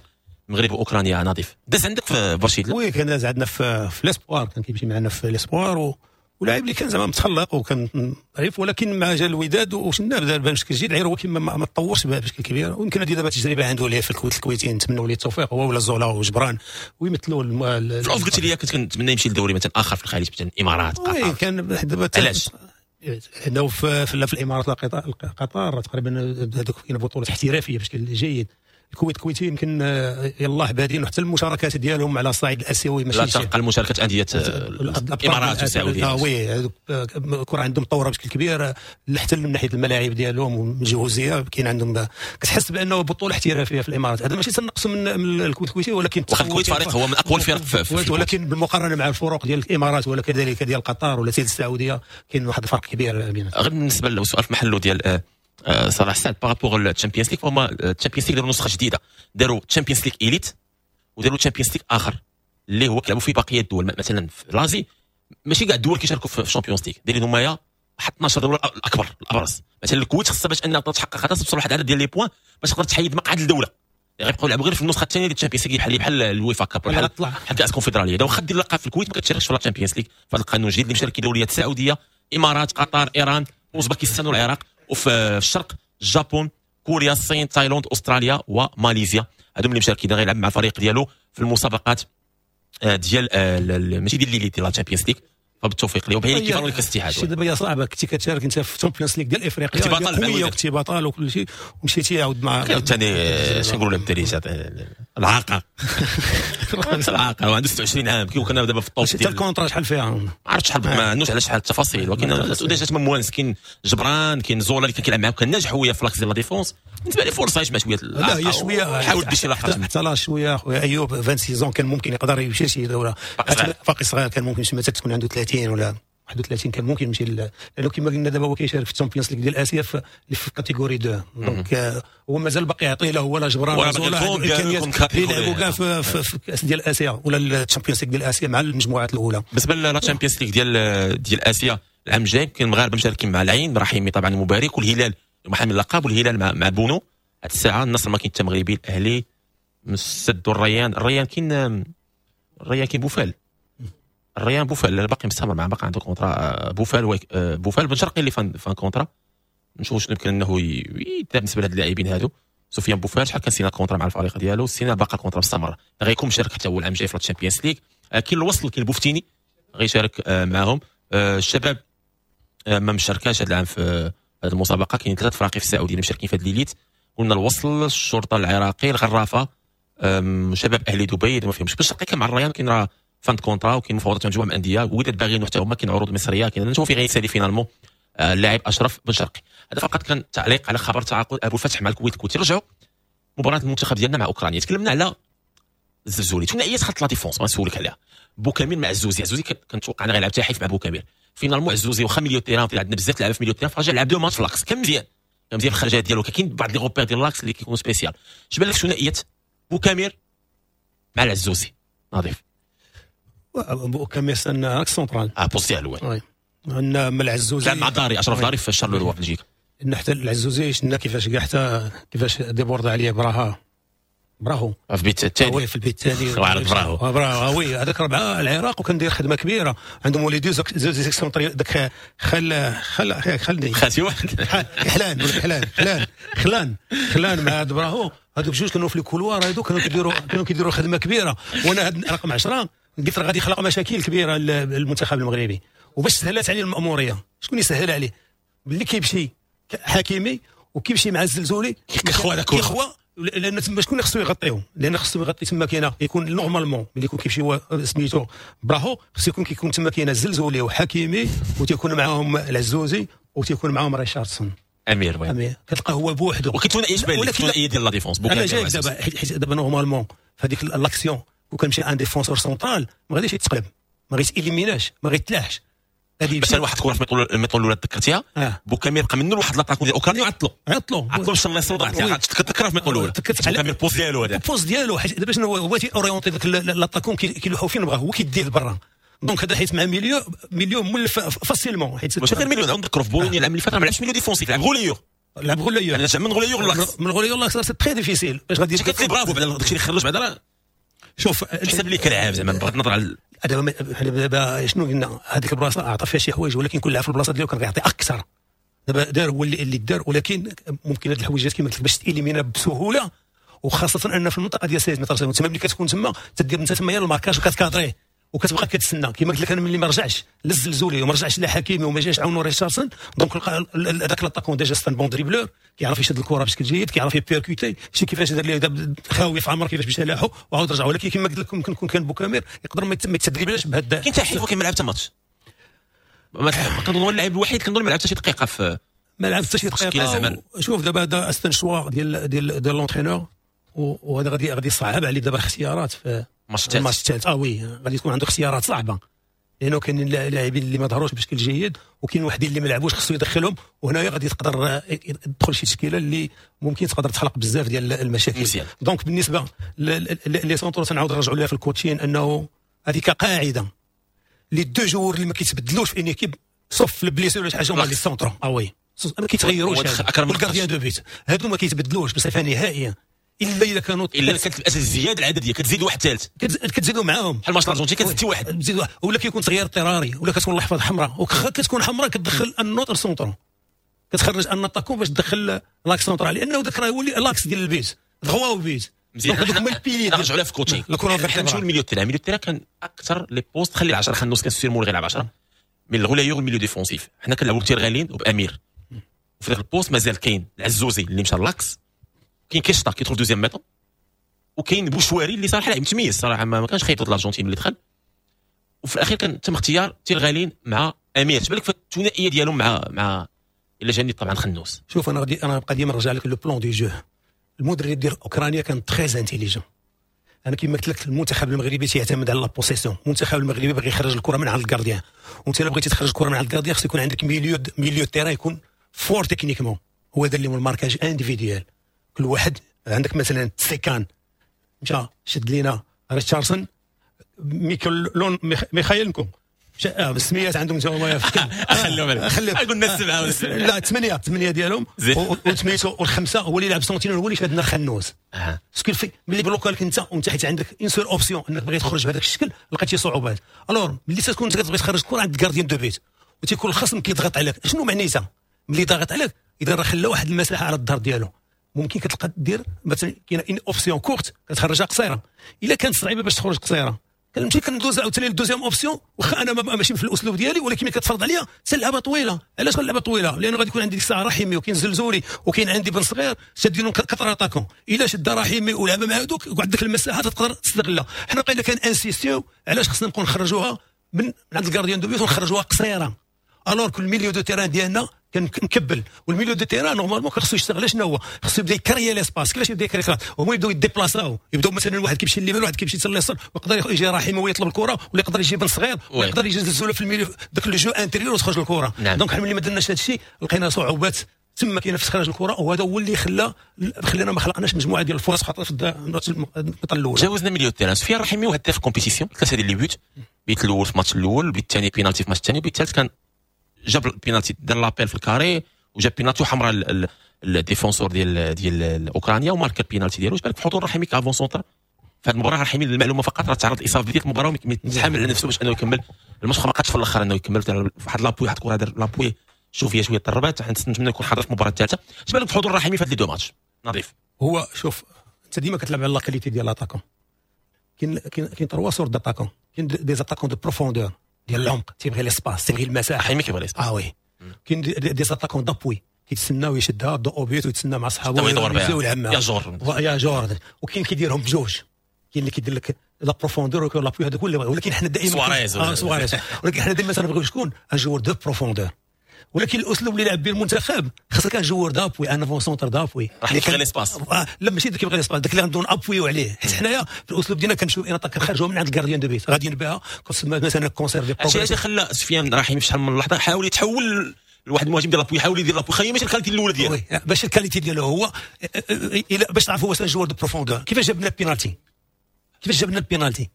المغرب واوكرانيا. نظيف داز عندك في برشيد؟ oui كان داز عندنا في l'espoir، كان كيمشي معنا في l'espoir، ولاعب اللي كان زعما متخلق وكان ظريف، ولكن مع جا الوداد وشنا بدا بشكل جيد، غير هو كيما ما تطورش بشكل كبير. ويمكن هذه دابا تجربه عنده اللي في الكويت الكويتي، نتمنوا ليه التوفيق هو ولا زولا وجبران ويمثلوا. في ال off قلت لي كنت كنتمنى يمشي لدوري مثلا اخر في الخليج، مثلا الامارات، قطر. oui كان دابا علاش؟ لانه في الامارات قطر تقريبا هذوك كاين بطولات احترافية بشكل جيد. الكويت الكويتي يمكن يلاه بادين، وحتى المشاركات ديالهم على الصعيد الاسيوي ماشي لا ترقى المشاركات اندية الامارات والسعودية. oui الكره عندهم مطوره بشكل كبير، حتى من ناحية الملاعب ديالهم والجهوزيه كاين عندهم، كتحس بانه بطوله احترافية في الامارات. هذا ماشي تنقص من الكويت الكويتي، ولكن الكويت فريق هو من اقوى الفرق في، ولكن بالمقارنة مع الفرق ديال الامارات ولا كذلك ديال قطر ولا السعودية كاين واحد الفرق كبير بيناتهم. غير بالنسبة للسؤال في محله ديال صلاح سعد par rapport ال Champions League، فهما ال Champions League داروا نسخه جديدة، داروا Champions League Elite وداروا Champions League اخر اللي هو كيلعبوا فيه بقية الدول. مثلا في l'Asie ماشي كاع الدول كيشاركوا في Champions League، دايرين هما واحد 12 دولة الاكبر الابرز. مثلا الكويت خصها باش انها تحقق هذا توصل واحد العدد ديال les points باش تقدر تحيد مقعد الدولة. غيبقاو يلعبوا غير في النسخة الثانية ديال ال Champions League، بحال الويفا Cup، بحال كاس كونفدراليه. واخا دير لقب في الكويت ما كتشاركش في la Champions League. في هذا القانون الجديد اللي مشاركين دوليات السعوديه، امارات، قطر، ايران، اوزبكستان والعراق. وفي الشرق الجابون، كوريا، الصين، تايلاند، استراليا وماليزيا. هادو اللي مشاركين غيلعب مع الفريق ديالو في المسابقات ديال ماشي ديال l'élite ديال la Champions League. فبالتوفيق ليه. وبهي كيف كاس الاتحاد. شي دابا هي صعبة، كنتي كتشارك انت في Champions League ديال افريقيا، كنتي بطل وكنتي بطل وكل شيء، ومشيتي عاود مع ثاني شنو نقولوا بالدارجة العاقه العاقه، وعنده 26 عام كي كنا دابا في ال top ديال ال contrat. شحال فيها ما عرفتش شحال، ما عندوش على شحال التفاصيل، ولكن déjà تما موانس، كاين جبران، كاين زولا اللي كان كيلعب معاه وكان ناجح هو في l'axe ديال la défense. بالنسبة لي فرصة يجمع شوية. لا هي شوية حاول دير شي لقطة حتى لا شوية خويا ايوب 26 كان ممكن يقدر يمشي شي دولة، باقي صغير، كان ممكن يمشي تكون عنده 30 ولا 31 كان ممكن يمشي، لانه كما قلنا دابا هو كيشارك في ال Champions League ديال اسيا في catégorie 2. donc هو مازال باقي يعطي له هو لا جبران ولا امكانيات يلعبوا كاع في كاس ديال اسيا ولا ال Champions League ديال اسيا مع المجموعات الاولى. بالنسبة la Champions League ديال اسيا العام الجاي كاين المغاربة مشاركين مع العين رحيمي طبعا المبارك، والهلال محامي اللقب، والهلال مع بونو. هاد الساعة النصر ما كاين حتى مغربي، الاهلي السد والريان. الريان كاين، الريان كاين بوفال، الريان بوفال باقي مستمر معاه، باقي عنده contrat بوفال، بوفال بن شرقي اللي fin contrat. نشوفوا شنو يمكن انه يدير بالنسبة لهاد اللاعبين هادو. سفيان بوفال شحال كان سينا contrat مع الفريق ديالو، سينا باقي contrat مستمر، غيكون مشارك حتى هو العام الجاي في ال Champions League. كاين الوصل، كاين بوفتيني غيشارك معاهم. الشباب ما مشاركاش هذا العام في هذه المسابقة. كاين ثلاث فراقي في السعودية اللي مشاركين في هذه l'élite، قلنا الوصل، الشرطة العراقي، الغرافه، شباب اهلي دبي ما فيهمش. بن شرقي كان مع الريان، كاين راه fin contrat وكاين مفاوضات مع مجموعة من الاندية، وداد باغيين حتى هما، كاين عروض مصرية، كاين نشوفوا في غيسالي finalement اللاعب اشرف بن شرقي. هذا فقط كان تعليق على خبر تعاقد ابو الفتح مع الكويت. الكويت رجعوا مباراة المنتخب ديالنا مع اوكرانيا. تكلمنا على الزلزولي، ثنائية خط la défense غنسولك عليها، بوكامير مع عزوزي. عزوزي كنتوقع انا غيلعب تاحيف مع بوكامير. finalement عزوزي واخا milieu terrain عندنا بزاف لعابه في milieu terrain، فرجع لعب deux matchs في l'axe، كان مزيان، كان مزيان في الخرجات ديالو، كاين بعض les repères ديال l'axe اللي كيكونوا spécial. اش بان لك ثنائية بوكامير مع العزوزي نظيف؟ بوكامير c'est un axe central poste ديالو oui. ان مع العزوزي لعب مع داري، اشرف داري في شارلوروا في بلجيكا. ان حتى العزوزي شفنا كيفاش كاع حتى كيفاش déborda عليه براهو في البيت الثاني، oui في البيت الثاني براهو براهو oui هذاك ربعه العراق، وكان داير خدمة كبيرة عندهم ولي deux excentrés داك خل خل خلني خاتي واحد حلان ولا حلان خلان خلان خلان مع هاد براهو، هادوك بجوج كانوا في ال couloir، هادو كانوا كيديروا خدمة كبيرة. وانا هاد رقم 10 قلت راه غادي يخلق مشاكل كبيرة للمنتخب المغربي، وباش سهلات عليه المأموريه شكون يسهل عليه؟ ملي كيمشي حكيمي وكيمشي مع الزلزولي كيخوا هذاك كيخوا، لان تما شكون خصو يغطيهم؟ لان خصو يغطي تما كاينه يكون normalement ملي يكون كيمشي هو سميتو براهو خصو يكون كيكون تما كاينه الزلزولي وحكيمي وتيكون معاهم العزوزي وتيكون معاهم ريشاردسون امير oui. كتلقى هو بوحدو. وكاين ثنائية بالك ثنائية ديال la défense انا جاي دابا حيت دابا normalement في هذيك l'action وكنمشي un défenseur central ما غاديش يتقلب، ما غيتاليميناش، ما غيتلاحش. بس واحد الكره في ال mi-temps الاولى تذكرتيها بوكامير بقى منه لواحد l'attaquant ديال اوكرانيا وعطلو عطلو باش الله يصوت تذكرها في ال mi-temps الاولى بوكامير poste ديالو هذا poste ديالو. حيت دابا شنو هو تي orienter داك l'attaquant كيلوحو فين بغا هو كيديه لبرا. donc هذا حيت مع milieu مولف facilement، حيت ماشي غير milieu. نذكروا في بولونيا العام اللي فات ما لعبش milieu défensif، لعب relayeur، لعب relayeur. انا من relayeur l'axe، من relayeur l'axe c'est très difficile باش غادي قلت لي برافو بعدا داكشي اللي خرج بعدا. شوف حسب لي كلاعب زعما بغض النظر على دابا شنو قلنا هذيك البلاصة اعطى فيها شي حوايج، ولكن كل لاعب في البلاصة ديالو كان غيعطي اكثر. دابا دار هو اللي دار، ولكن ممكن هاد الحويجات كما قلت لك باش تاليمينا بسهولة، وخاصة ان في المنطقة ديال 16 متر تما ملي كتكون تما تدير انت تما ال marquage وكتكادريه وكتبقى كتسنى. كما قلت لك انا ملي ما رجعش للزلزولي وما رجعش لحكيمي وما جاش عاونو ريتشاردسون، donc هذاك l'attaquant déjà c'est un bon dribbleur، كيعرف يشد الكره بشكل جيد، كيعرف ي percuter شي كيفاش دار ليه خاوي في عمر كيفاش مشى لاحو وعاود رجع. ولكن كما قلت لكم ممكن يكون كان بوكامير يقدر ما يتدريبلاش بهذا. كاين تحيف وكاين ما لعب حتى ماتش، كنظن هو اللاعب الوحيد كنظن ما لعب حتى شي دقيقة في ما لعب حتى شي دقيقة. شوف دابا هذا c'est un choix ديال ديال l'entraîneur، وهذا غادي يصعب عليه دابا الاختيارات في الماتش الثالث. oui غادي تكون عنده اختيارات صعبة، لانه كاين لاعبين اللي ما ظهروش بشكل جيد وكاين وحدين اللي ما لعبوش خصو يدخلهم، وهنايا غادي تقدر تدخل شي تشكيله اللي ممكن تقدر تخلق بزاف ديال المشاكل. donc بالنسبة les centraux تنعاود نرجعوا لها في ال coaching، انه هذه كقاعدة les deux joueurs اللي ما كيتبدلوش في une équipe sauf في ال blessure ولا شي حاجة هما les centraux. oui ما كيتغيروش، وال gardien de but هادو ما كيتبدلوش بصفة نهائية. الا كانوا الا كانت الزيادة العدديه كتزيد واحد ثالث، كتزيدوا معاهم بحال ماتش الارجنتين كتزيد واحد، تزيد واحد، ولا كيكون تغيير اضطراري، ولا كتكون اللحظة حمراء، وكتكون حمراء كتدخل un autre central، كتخرج un attaquant باش تدخل l'axe central، لانه ذاك راه يولي l'axe ديال ال but droit au but. مزيان. هذوك هما ال piliers. نرجعوا لها في coaching. حنا نمشيو لل milieu terrain. ال milieu terrain كان اكثر les postes، خلي 10 خنوس كان sûrement غير 10 من ال relayeur ال milieu défensif. حنا كنلعبوا بتيرغالين وبامير، وفي ذاك ال poste مازال كاين العزوزي اللي مشى l'axe، كاين كيشطا كيدخل deuxième mi-temps، وكاين بوشواري اللي صراحة لعب متميز صراحة، ما كانش خايب ضد الارجنتين اللي دخل. وفي الاخير كان تم اختيار تيرغالين مع امير. اش بالك في الثنائية ديالهم مع الا جاني طبعا خنوس؟ شوف انا غادي انا نبقى ديما نرجع لك le plan de jeu. المدرب ديال اوكرانيا كان très intelligent. انا كما قلت لك المنتخب المغربي تيعتمد على la possession. المنتخب المغربي باغي يخرج الكره من عند ال gardien، وانت الا بغيتي تخرج الكره من عند ال gardien خص يكون عندك milieu terrain يكون fort techniquement. هو دار لهم ال marquage individuel، كل واحد عندك مثلا سيكان مشى شد لينا ريتشاردسون، ميكل ميخايلنكو، السميات عندهم تا هما. خليهم خليهم قلنا السبعة. لا ثمانية ديالهم وثمانية والخمسة هو اللي لعب sentinelle، هو اللي شادنا الخنوس. ce qui fait ملي بلوكا لك انت، وانت حيت عندك une seule option انك بغيت تخرج بهذاك الشكل لقيتي صعوبات. alors ملي تكون انت كتبغي تخرج الكره عند gardien de but وتيكون الخصم كيضغط عليك، شنو معنيتها؟ ملي ضاغط عليك اذا راه خلى واحد المساحة على الظهر ديالو، ممكن كتلقى دير مثلا كاينه une option courte كتخرجها قصيرة. الا كانت صعيبة باش تخرج قصيرة كنمشي كندوز عاوتاني لل deuxième option، واخا انا ماشي في الاسلوب ديالي، ولكن ملي كتفرض عليا تلعبها طويلة. علاش غنلعبها طويلة؟ لانه غادي يكون عندي ديك الساعة رحيمي وكاين زلزولي وكاين عندي بن صغير شادينهم quatre attaquants. الا شد رحيمي ولعب مع هذوك وعندك المساحة تقدر تستغلها. حنا بقينا كان insister علاش خصنا نبقاو نخرجوها من عند ال gardien de but ونخرجوها قصيرة، alors que ال milieu de terrain ديالنا كان مكبل. وال milieu de terrain normalement خصو يشتغل شنو هو؟ خصو يبدا يكريي l'espace. كيفاش يبدا يكريي؟ هما يبداو يديبلاساو، يبداو مثلا واحد كيمشي لليمين واحد كيمشي لليسار، ويقدر يجي رحيم ويطلب الكره، ولا يقدر يجي بن صغير، ولا يقدر يجي زلزوله في ال milieu داك le jeu intérieur وتخرج الكره. donc حنا ملي ما درناش هذا الشيء لقينا صعوبات تما كاينه في استخراج الكره، وهذا هو اللي خلانا ما خلقناش مجموعة ديال الفرص خاطر في النقطة الاولى. جاوزنا milieu terrain. سفيان رحيمي وهداف compétition، ثلاثة ديال les buts، بيت الاول في الماتش الاول، بيت الثاني بينالتي في الماتش الثاني، بيت الثالث كان جاب البينالتي، دار l'appel في ال carré وجاب بينالتي وحمراء ال défenseur ديال اوكرانيا وماركا البينالتي ديالو. واش بالك في حضور رحيمي ك avant-centre في هذه المباراة؟ رحيمي للمعلومة فقط راه تعرض لاصابة بداية المباراة ويتحامل على نفسه باش انه يكمل الماتش، ما قادش في الاخر انه يكمل. واحد l'appui، واحد الكره دار l'appui شوف فيها شوية ضربات، نتمنى يكون حاضر في المباراة الثالثة. اش بالك في حضور رحيمي في هاد les deux matchs نظيف؟ هو شوف انت ديما كتلعب على la qualité ديال l'attaquant. كاين trois sortes d'attaquants. كاين des attaquants de profondeur ديال العمق، تيبغي l'espace، تيبغي المساحه. رحيمي كيبغي l'espace. اه oui. كاين des attaquants d'appui كيتسناو يشدها dos au but ويتسنى مع صحابو يدور بها يلعب يا جور يا جور. وكاين كيديرهم بجوج، كاين اللي كيدير لك la profondeur وكاين l'appui، هذا كله. ولكن حنا دائما سواريز. سواريز. ولكن حنا دائما تنبغيو شكون؟ un joueur de profondeur. ولكن الاسلوب اللي لعب به المنتخب خاصك un joueur d'appui، un avant-centre d'appui. راح يبغي l'espace. لا ماشي داك يبغي l'espace، داك اللي غندون appuyer عليه، حيت حنايا في الاسلوب ديالنا كنمشيو une attaque كنخرجوا من عند ال gardien de but غاديين بها كتسمى مثلا conserver. هادشي اللي خلى سفيان رحيمي في شحال من لحظة حاول يتحول لواحد المهاجم ديال l'appui، يحاول يدير l'appui، خليه ماشي ال qualité الاولى ديالو. باش ال qualité ديالو هو باش تعرف هو joueur de profondeur. كيفاش جاب لنا البينالتي؟ كيفاش جاب لنا البينالتي؟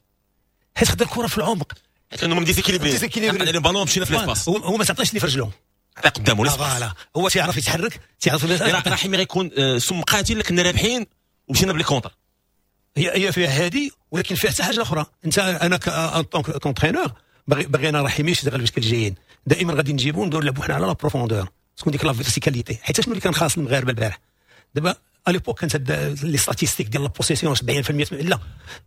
حيت خد الكره في العمق، حيت انه déséquilibré déséquilibré البالون مشينا في l'espace. هو ما تعطيش لي في رجلو، عطية قدامه l'espace. voilà هو تيعرف يتحرك، تيعرف. رحيمي غيكون سم قاتل، كنا رابحين ومشينا ب les contres. هي فيها هذه، ولكن فيها حتى حاجة اخرى. انت انا en tant qu'entraîneur باغي انا رحيمي يشتغل بشكل جيد، دائما غادي نجيبو نديرو نلعبو حنا على la profondeur، تكون ديك la verticalité. حيت شنو اللي كان خاص المغاربة البارح؟ دابا à l'époque كانت les statistiques ديال la possession 70%، لا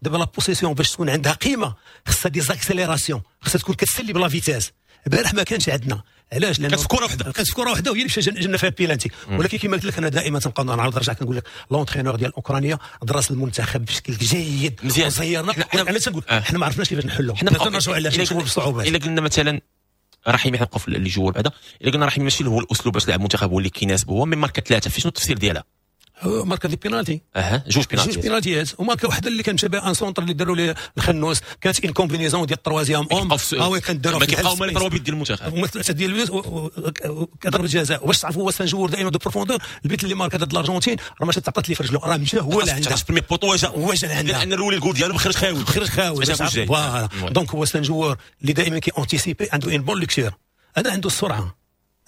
دابا la possession باش تكون عندها قيمة خصها des accélérations، خصها تكون كتسلي ب la vitesse. البارح ما كانش عندنا. علاش؟ لانه كانت في كره واحده. كانت في كره واحدة وهي اللي مشى جبنا فيها بيلانتي. ولكن كما قلت لك انا دائما تنبقى نعاود نرجع كنقول لك l'entraîneur ديال اوكرانيا درس المنتخب بشكل جيد. مزيان. وزيرنا. علاش تنقول حنا ما عرفناش كيفاش نحلوا، حنا نرجعوا علاش نشوفوا بالصعوبات. الا قلنا مثلا رحيمي، حنا في les joueurs بعدا، الا قلنا رحيمي ماشي هو الاسلوب باش لعب المنتخب هو اللي كيناسبه هو، mais ماركا ثلاثه، في شنو التفسير ديالها؟ ماركا des pénaltys. اها، جوج بينالتيات. جوج بينالتيات وماركا وحده اللي كان مشى un centre اللي داروا ليه الخنوس، كانت une combinaison ديال ال troisième homme. اه oui كان داروا. ما كيبقاو هما les trois buts ديال المنتخب. هما ثلاثة ديال ال buts كضربه جزاء. واش تعرفوا هو c'est un joueur دائما de profondeur. البيت اللي ماركا ضد الارجنتين راه ماشي تعطات لي في رجلو، راه مشى هو اللي عندها premier poteau واجا واجا عندها، لان الاول الجول ديالو خرج خاوي. خرج خاوي. voilà، donc هو c'est un joueur اللي دائما كي anticiper، عنده une bonne lecture، هذا عنده السرعه،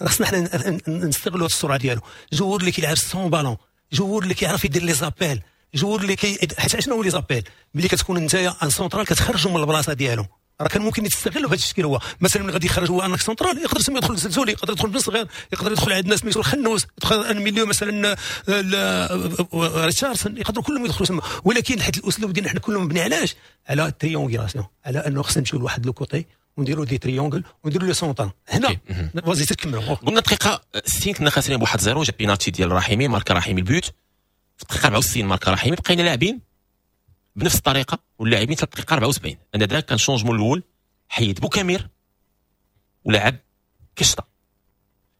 خصنا حنا نستغلوا السرعة ديالو. joueur اللي كيلعب sans ballon، joueur اللي كيعرف يدير les appels. joueur اللي كي حيت شنو هو les appels ملي كتكون انت un central كتخرجوا من البلاصة ديالو، راه كان ممكن يتستغلوا بهذا الشكل. هو مثلا ملي غادي يخرج هو un central يقدر تما يدخل الزلزولي، يقدر يدخل بن صغير، يقدر يدخل عندنا سميتو الخنوس، يدخل un milieu مثلا ريتشاردسون، يقدروا كلهم يدخلوا تما. ولكن حيت الاسلوب ديالنا حنا كله مبني علاش؟ على triangulation، على انه خصنا نمشيو لواحد le côté ونديروا des triangles ونديروا les centres هنا. vas-y تكملوا. قلنا دقيقة 60 كنا خاسرين ب 1-0، جا بينالتي ديال رحيمي، ماركا رحيمي ال but في الدقيقة 64، ماركا رحيمي. بقينا لاعبين بنفس الطريقة واللاعبين حتى الدقيقة 74. انا ذاك كان changement الاول، حيد بوكامير ولعب كشطه.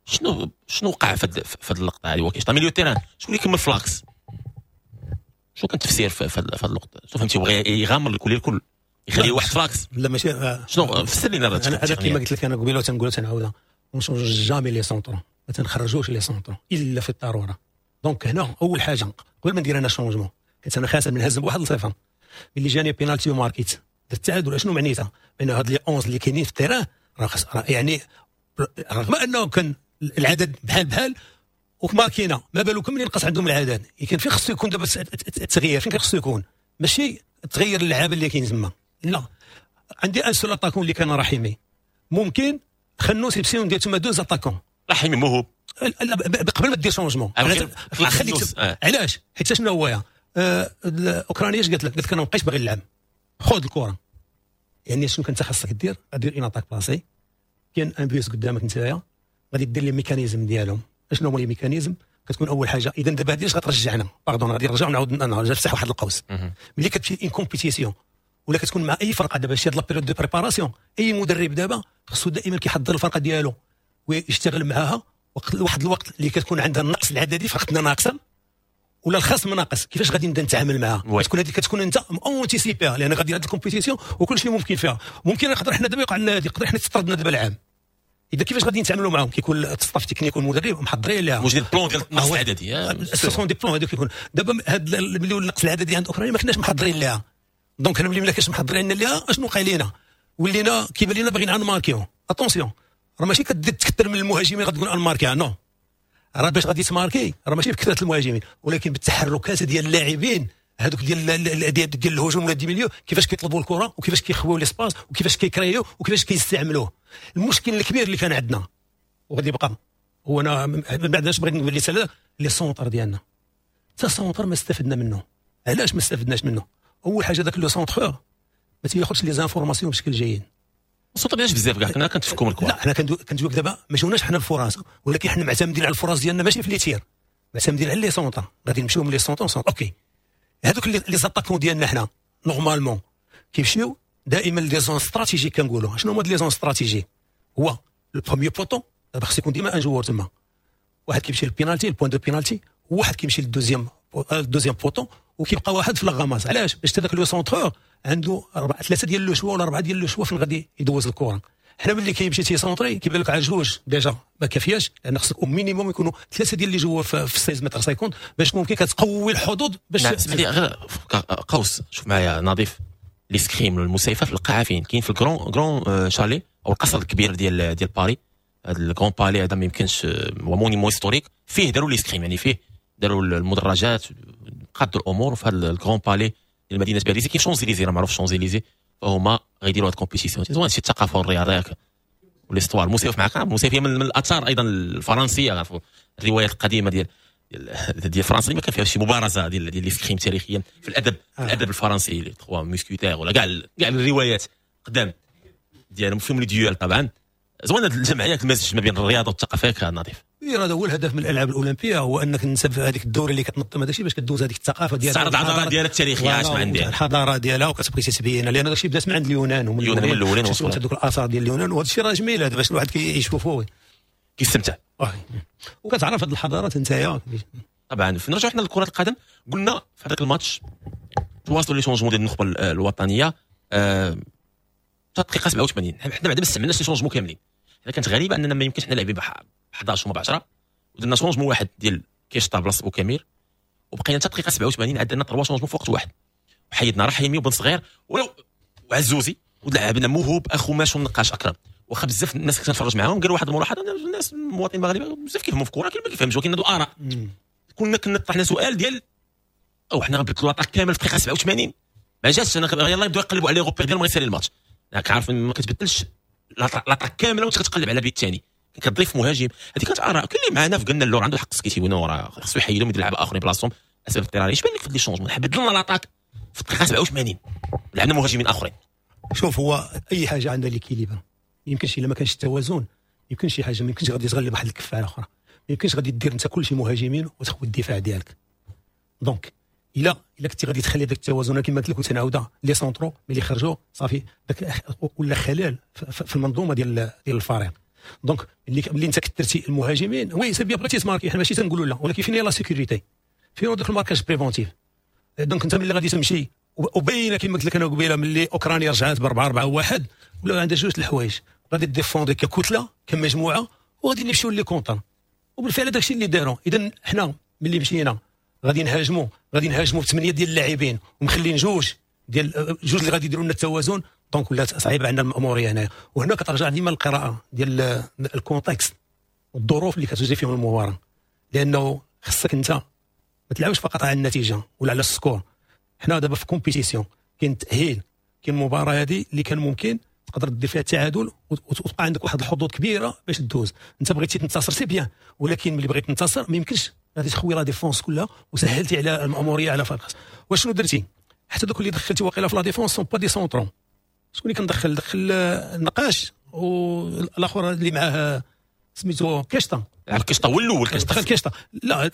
شنو وقع في هذه اللقطة هذه؟ هو كشطه milieu terrain، شكون اللي كمل ف l'axe؟ شنو كان التفسير في هذه اللقطة؟ شنو فهمتي؟ بغى يغامر الكل الكل يخلي واحد ف l'axe. لا ماشي، شنو فسر لنا؟ انا كيما قلت لك انا قبيلة تنقولها تنعاودها، on change jamais les centraux، ما تنخرجوش les centraux الا في الضرورة. donc هنا اول حاجة قبل ما ندير انا changement، كنت انا خاسر من هزم ب1-0، ملي جاني بينالتي وماركيت درت التعادل، شنو معنيتها؟ بان هاد les 11 اللي كاينين في ال terrain راه يعني رغم انه كان العدد بحال بحال وماركينا، ما بالكم ملي نقص عندهم العدد. كان فين خصو يكون دابا التغيير؟ فين خصو يكون؟ ماشي تغير اللعابه اللي كاين تما، لا عندي un seul attaquant اللي كان رحيمي، ممكن خنوس يمشيو ندير تما deux attaquants. رحيمي موهوب قبل ما دير changement خليك. علاش؟ حيت شنو هو الاوكرانية اش قالت لك؟ قالت لك انا ما بقيتش باغي نلعب، خذ الكره. يعني شنو كنت خاصك دير؟ غادير une attaque placée، كاين un bus قدامك نتايا، غادي دير les mécanismes ديالهم. شنو هما les mécanismes؟ كتكون اول حاجة اذا دابا هذه اش غترجعنا، pardon غادي نرجعو نعاود نفتح واحد القوس. ملي كتمشي une compétition ولا كتكون مع اي فرقه دابا شي هاد la période de préparation، اي مدرب دابا خصو دائما كيحضر الفرقة ديالو ويشتغل معاها واحد الوقت اللي كتكون عندها النقص العددي، فرقتنا ناقصه ولا الخصم ناقص، كيفاش غادي نبدا نتعامل معاها؟ تكون هذه كتكون انت anticipé ها، لان غادي هذه ال compétition وكل شيء ممكن فيها. ممكن نقدر حنا دابا يوقع لنا هذه، يقدر حنا تطردنا دابا العام. اذا كيفاش غادي نتعاملوا معاهم؟ كيكون ال staff technique والمدرب محضرين لها، موجودين plan ديال النقص العددي، ce sont des plans هذوك. يكون دابا هاد ملي النقص العددي عند اوكرانيا ما كناش محضرين لها. donc انا ملي ما كناش محضرين لها اشنو وقع لينا؟ ولينا كيبان لينا باغيين نماركيو. attention راه ماشي كدير تكثر من المهاجمين غتقول نماركي، non، راه باش غادي تماركي راه ماشي بكثرة المهاجمين، ولكن بالتحركات ديال اللاعبين هذوك ديال الهجوم ولا des milieux، كيفاش كيطلبوا الكره وكيفاش كيخويو l'espace وكيفاش كيكريو وكيفاش كيستعملوه. المشكل الكبير اللي كان عندنا وغادي يبقى هو، انا من بعد اش بغيت نقول لي les centres ديالنا، حتى centre ما استفدنا منه. علاش ما استفدناش منه؟ اول حاجة ذاك le centreur ما تياخذش les informations بشكل جيد. الصوت ديالش بزاف كاع كنا كنتفكوا من الكره. لا حنا كندويو دابا ما جاوناش حنا الفرص، ولكن حنا معتمدين على الفرص ديالنا ماشي في les tirs، معتمدين على les centres. غادي نمشيو من les centres centre. OK هذوك les attaquants ديالنا حنا normalement كيمشيو دائما les zones stratégiques. كنقولوا شنو هما les zones stratégiques؟ هو le premier poteau، دابا خص يكون ديما un joueur تما، واحد كيمشي لل pénalty، ال point de pénalty، وواحد كيمشي لل deuxième poteau، وكيبقى واحد في la ramasse. علاش؟ باش هذاك le centreur عنده ثلاثة ديال le choix ولا اربعة ديال le choix فين غادي يدوز الكره. حنا ملي كيمشي تيسونطري كيبان لك على جوج déjà ما كافياش، لان خصك minimum يكونوا ثلاثة ديال les joueurs في 16 متر 50 باش ممكن كتقوي الحظوظ باش. نعم اسمح لي غير قوس، شوف معايا نظيف l'escrime المسيفه في القاعة فين كاين؟ في ال grand chalet او القصر الكبير ديال باري، هذا ال Grand Palais هذا ما يمكنش هو monument historique، فيه داروا l'escrime، يعني فيه داروا المدرجات، قادوا الامور في هذا ال Grand Palais ديال مدينة باريس. كاين شونزيليزي، راه معروف شونزيليزي، فهما غيديروا هاد ال compétition. زوين شي الثقافة والرياضة و l'histoire. الموسيقى معك الموسيقى من الاثار ايضا الفرنسيه، عرفوا الروايات القديمة ديال فرنسا ما كان فيها شي مبارزه ديال l'escrime تاريخيا في الادب في الادب الفرنسي، les trois mousquetaires ولا كاع الروايات قدام ديالهم فيهم les duels. طبعا زوين هذه الجمعيات، المزج ما بين الرياضة والثقافة كان نظيف. هذا هو الهدف من الالعاب الاولمبيه، هو انك نسب هذيك الدورة اللي كتنظم هذا الشيء باش كدوز هذيك الثقافة ديالها، تعرض الحضارة ديالها التاريخية، اش ما عندها الحضارة ديالها وكتبغي تتبين، لان هذا الشيء بدات من عند اليونان ومن اليونان الاولين وصلوا هذوك الاثار ديال اليونان، وهذا الشيء راه جميل هذا باش الواحد كيشوفوه كيستمتع وكتعرف هذه الحضارات انت. طبعا نرجعوا حنا لكرة القدم، قلنا في هذاك الماتش تواصلوا les changements ديال النخبة الوطنية دقيقة 87، حنا بعدا ما استعملناش les changements كاملين. حنا كانت غريبة اننا ما يمكنش حنا لاعبين ب 11 وما ب 10، ودرنا changement واحد ديال كيشطا بلاصة بوكامير، وبقينا حتى دقيقة 87 عندنا 3 changements في وقت واحد، وحيدنا رحيمي وبن صغير وعزوزي ولعبنا موهوب اخو ماش والنقاش اكرم. واخا بزاف الناس كنت نتفرج معاهم قالوا واحد الملاحظة، الناس المواطنين المغاربة بزاف كيفهموا في الكره، كاين ما كيفهمش، ولكن هادو اراء. كنا طرحنا سؤال ديال او حنا غنبدلوا l'attaque كامل في دقيقة 87 ما جاتش. انا يلاه يبداو يقلبوا على les repères ديالهم غيسالي الماتش. راك عارف ما كتبدلش l'attaque كاملة وانت كتقلب على بيت ثاني، كتضيف مهاجم. هذه كانت اراء كل اللي معنا قلنا اللور عنده الحق سكيتي راه خصو يحيدهم يدير لعابه اخرين بلاصتهم اسباب اضطراريه. اش بان لك في les changements؟ بدلنا l'attaque في الدقيقة 87 لعبنا مهاجمين اخرين. شوف هو اي حاجة عندها l'équilibre، يمكنش الا ما كانش التوازن يمكن شي حاجة ما يمكنش غادي تغلب واحد الكفة على اخرى، ما يمكنش غادي دير انت كلشي مهاجمين وتخوي الدفاع ديالك. donc الا كنتي غادي تخلي داك التوازن كما قلت لك وتنعاودها les centraux ملي خرجوا صافي داك ولا خلل في المنظومة ديال الفريق. donc ملي انت كثرتي المهاجمين oui c'est bien بغيتي تماركي، حنا ماشي تنقولوا لا، ولكن فين هي la sécurité، فين داك ال marquage préventif. donc انت ملي غادي تمشي وباينه كما قلت لك انا قبيلة ملي اوكرانيا رجعت ب 4-4-1 ولا عندها جوج الحوايج، غادي défendre ككتله كمجموعة وغادي نمشيو les contres، وبالفعل داكشي اللي داروا. اذا حنا ملي مشينا غادي نهاجموا بثمانية ديال اللاعبين ومخلين جوج ديال جوج اللي غادي يديروا لنا التوازن. donc ولات صعيبة عندنا الماموريه هنايا. وهنا كترجع ديما القراءة ديال ال contexte والظروف اللي كتجري فيهم المباراة، لانه خصك انت ما تلعبش فقط على النتيجة ولا على ال score. حنا دابا في compétition كاين تاهيل، كاين المباراة هذه اللي كان ممكن تقدر دير فيها التعادل وتبقى عندك واحد الحظوظ كبيرة باش تدوز. انت بغيتي تنتصر c'est bien، ولكن ملي بغيت تنتصر ما يمكنش غادي تخوي la défense كلها وسهلتي على الماموريه على فرق. واشنو درتي؟ حتى دوك اللي دخلتي واقيلا في la défense sont pas des centraux. شكون اللي كندخل؟ دخل النقاش والاخر اللي معاه سميتو كيشطا. لعب كيشطا هو الاول. دخل كيشطا لا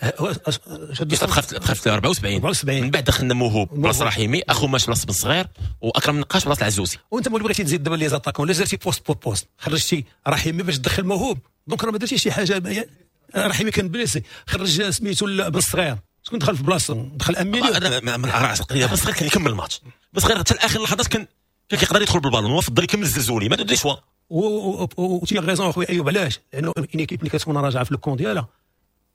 كيشطا دخل في 74، من بعد دخلنا موهوب بلاصة رحيمي، اخو ماش بلاصة بن صغير، واكرم نقاش بلاصة العزوزي. وانت ملي بغيتي تزيد دابا les attaquants لا درتي poste pour poste، خرجتي رحيمي باش تدخل موهوب، donc راه ما درتي شي حاجة. رحيمي كان blessé، خرج سميتو بن صغير، شكون دخل في بلاصتو؟ دخل اميليو. انا بن صغير كان يكمل الماتش، بن صغير حتى لاخر اللحظات كان كيقدر يدخل بالبالون، هو فضل يكمل الزلزولي ما درتيش choix. و tu as raison اخويا ايوب. علاش؟ لانه une équipe اللي كتكون راجعه في le camp ديالها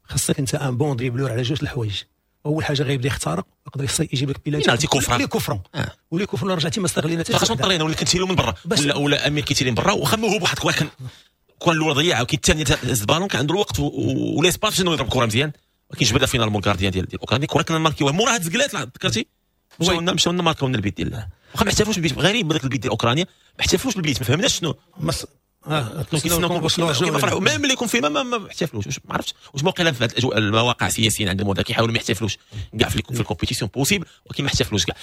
خاصك انت un bon dribbleur على جوج الحوايج. اول حاجة غيبدا يخترق يقدر يجيب لك pénalty coup franc les coups francs و les coups francs رجعتي ما استغلينا حتى خاصنا طرينا ولا كنتيريو من برا ولا امير كيتيري من برا وخا موهوب واحد الكره كان الكره الاولى ضيعها وكي الثانية هز البالون كان عنده الوقت و l'espace باش انه يضرب كره مزيان، ولكن جبدها finalement ال gardien ديال اوكرانيا. كره كنا ماركيوها موراها تزقلات ذكرتي مشاو لنا ماركاو لنا البيت ديال واخا ما احتفلوش بالبيت. غريب بداك البيت ديال اوكرانيا ما احتفلوش بالبيت، ما فهمناش شنو كيما فرحوا même اللي يكون فيه ما احتفلوش. ما عرفتش واش موقع في هذه الاجواء المواقع السياسيين عندهم هذا كيحاولوا ما يحتفلوش كاع في ال compétition possible، ولكن ما احتفلوش كاع.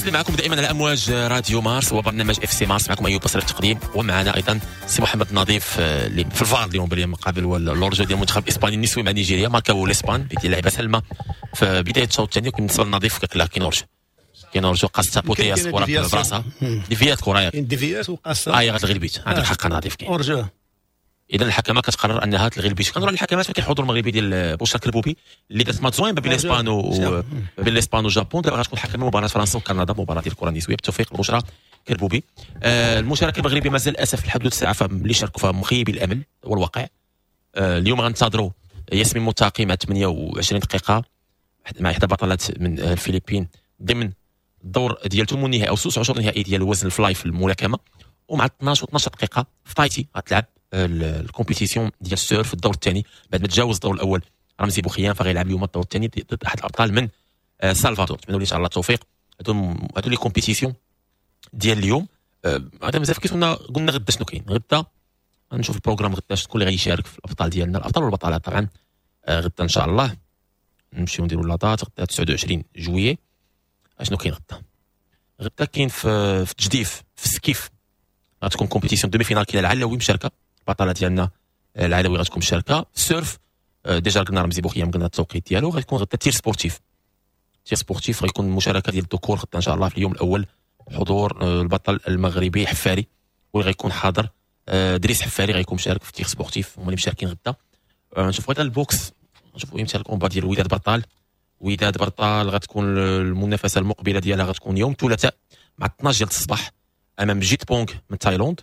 معكم دائما على امواج راديو مارس وبرنامج FC مارس، معكم ايوب بصري في التقديم، ومعنا ايضا سي محمد النظيف اللي في الفار اليوم باليوم مقابل l'hors-jeu ديال المنتخب الاسباني النسوي مع نيجيريا. ماركاو l'Espagne ديال اللاعبه سلمى في بداية الشوط الثاني. بالنسبة للنظيف لا كاين hors-jeu، كاين hors-jeu قاص بوتياس كره براسها déviات كره كاين déviات وقاص غتلغي البيت. عندك الحق نظيف كاين hors-jeu. اذا الحكمة كتقرر انها تلغي البيت. كنروح للحكمات فكاين الحضور المغربي ديال بوشرا كربوبي اللي دارت ماتش زوين بين l'Espagne و بين l'Espagne وال Japon. دابا غتكون حكمه مباراة فرنسا وكندا، مباراة ديال الكره النسوية. بالتوفيق لبشرى كربوبي. المشاركة المغربية مازال للاسف لحد الساعة فاللي شاركوا فيها مخيب الامل والواقع. اليوم غنتظروا ياسمين متاقي مع 28 دقيقة مع احدى بطلات من الفلبين ضمن الدور ديال ثمن النهائي او 16 النهائي ديال وزن ال fly في الملاكمة. ومع 12 و12 دقيقة في تايتي غتلعب ال compétition ديال ال surf في الدور الثاني بعد ما تجاوز الدور الاول رمزي بوخيان، فغيلعب اليوم الدور الثاني ضد احد الابطال من سالفادور. نتمنوا ليه ان شاء الله التوفيق. هادو les compétitions ديال اليوم. هذا مازال كيف قلنا غدا شنو كاين. غدا غنشوف ال programme غدا شكون اللي غيشارك في الابطال ديالنا، الابطال والبطلات طبعا. غدا ان شاء الله نمشيو نديرو la date. غدا 29 juillet. اشنو كاين غدا؟ غدا كاين في التجديف في ال skiff غتكون compétition demi-finale. كاين العلاوي مشاركة، البطلة ديالنا العلاوي غتكون مشاركة. surf déjà قلنا رمزي بوخيام قلنا التوقيت ديالو. غيكون غدا tir sportif، tir sportif غيكون مشاركة ديال الذكور غدا ان شاء الله في اليوم الاول. حضور البطل المغربي حفاري واللي غيكون حاضر، دريس حفاري غيكون مشارك في tir sportif، هما اللي مشاركين غدا. نشوفوا غدا ال boxe، نشوفوا امتى ال combat ديال وداد برطال. وداد برطال غتكون المنافسة المقبلة ديالها غتكون يوم الثلاثاء مع 12 ديال الصباح امام جيت بونغ من تايلاند.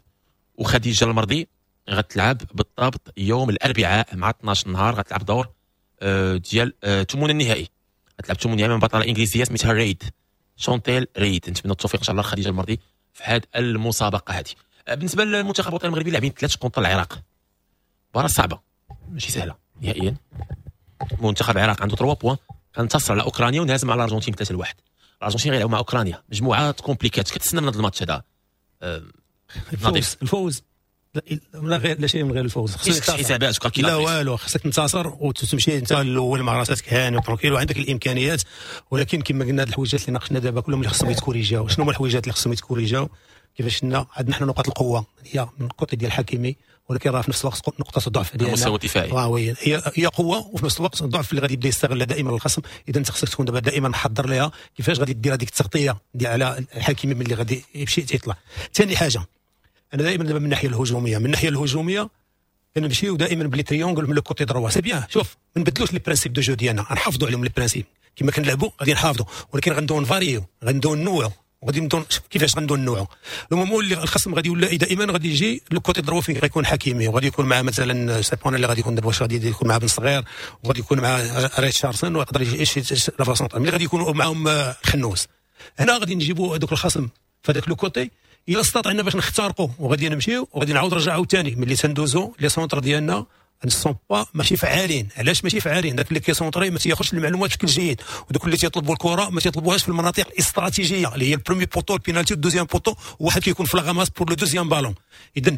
وخديجة المرضي غتلعب بالضبط يوم الاربعاء مع 12 النهار، غتلعب دور ديال ثمن النهائي. تلعب ثمانية من بطلة انجليزية سميتها ريد، شونتيل ريد. نتمنى التوفيق ان شاء الله خديجة المرضي في هذه المسابقة هذه. بالنسبة للمنتخب الوطني المغربي لاعبين 3 contre العراق، مباراة صعبة ماشي سهلة نهائيا. منتخب العراق عنده 3 points، كانتصر على اوكرانيا ونهزم على الارجنتين 3-1. الارجنتين غيلعبوا مع اوكرانيا، مجموعات compliquée. كتسنى من هذا الماتش هذا؟ الفوز، الفوز لا غير، لا شيء من غير الفوز. خصك حسابات لا والو، خصك تنتصر وتمشي انت الاول مع راسك هاني و tranquille وعندك الامكانيات. ولكن كما قلنا هاد الحويجات اللي ناقشنا دابا كلهم اللي خصهم يتكوريجاو. شنو هما الحويجات اللي خصهم يتكوريجاو؟ كيفاش عندنا حنا نقاط القوة هي من côté ديال حكيمي، ولكن راه في نفس الوقت نقطة الضعف ديالنا المستوى الدفاعي. oui هي قوة وفي نفس الوقت الضعف اللي غادي يبدا يستغلها دائما الخصم. اذا انت خصك تكون دابا دائما محضر ليها كيفاش غادي دير هذيك التغطية ديال على الحكيمي ملي غادي يمشي تيطلع. ثاني حاجة، انا دائما دابا من الناحية الهجومية، من الناحية الهجومية كنمشيو دائما ب les triangles من le côté droit. c'est bien، شوف ما نبدلوش les principes de jeu ديالنا، نحافظوا عليهم les principes كما كنلعبوا غادي نحافظوا، ولكن غندو نفاريو، غندو نوعوا، وغادي ندون كيفاش غندو نوعوا. le moment اللي الخصم غادي يولى دائما غادي يجي le côté droit فين غيكون حكيمي، وغادي يكون مع مثلا سيبون اللي غادي يكون دابا، واش غادي يكون مع بن صغير، وغادي يكون مع ريتشاردسون، ويقدر يجي شي l'avant-centre ملي غادي يكونوا معاهم خنوس. هنا غادي نجيبوا هذوك الخصم فهذاك le côté الا استطعنا باش نخترقوا، وغادي نمشيو وغادي نعاود نرجعوا ثاني. ملي تندوزو les centres ديالنا ne sont pas ماشي فعالين. علاش ماشي فعالين؟ داك اللي كيسونطري ما تياخذش المعلومات بشكل جيد، ودوك اللي تيطلبوا الكره ما تيطلبوهاش في المناطق الاستراتيجية اللي هي ال premier poteau، ال pénalty، ال deuxième poteau، وواحد كيكون في la ramasse pour le deuxième ballon. اذا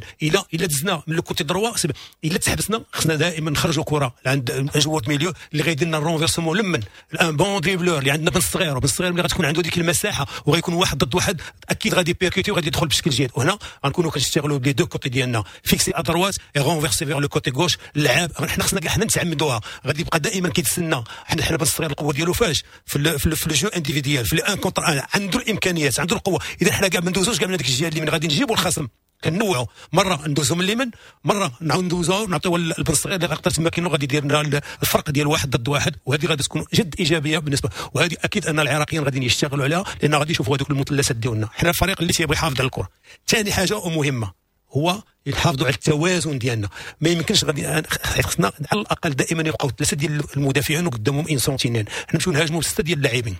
الا دزنا من le côté droit، الا تحبسنا خصنا دائما نخرجوا كره عند joueur milieu اللي غيدير لنا ال renversement لمن un bon dribbleur اللي عندنا بن الصغير، وبن الصغير ملي غتكون عنده ديك المساحة وغيكون واحد ضد واحد اكيد غادي percuter وغادي يدخل بشكل جيد. وهنا غنكونوا كنشتغلوا ب les deux côtés ديالنا، fixer à droite et renverser vers le côté gauche. اللعاب حنا خصنا كاع حنا نتعمدوها، غادي يبقى دائما كيتسنى. حنا بن الصغير القوة ديالو فاش في le jeu individuel، في un contre un، عنده الامكانيات، عنده القوة. اذا حنا كاع ما ندوزوش كاع من هذيك الجهة اليمين، غادي نجيبوا الخصم كنوعوا، مرة ندوزو من اليمين، مرة نعاود ندوزو نعطيو البن الصغير اللي غيقدر تما كاين غادي يدير لنا الفرق ديال واحد ضد واحد، وهذه غادي تكون جد ايجابية بالنسبة. وهذه اكيد ان العراقيين غادي يشتغلوا عليها، لان غادي يشوفوا هذوك المثلثات ديالنا. حنا الفريق اللي تيبغي يحافظ على الكره. ثاني حاجة ومهمة هو يحافظوا على التوازن ديالنا. ما يمكنش غادي خصنا على الاقل دائما يبقاو ثلاثة ديال المدافعين وقدامهم une sentinelle. حنا نمشيو نهاجموا بسته ديال اللاعبين.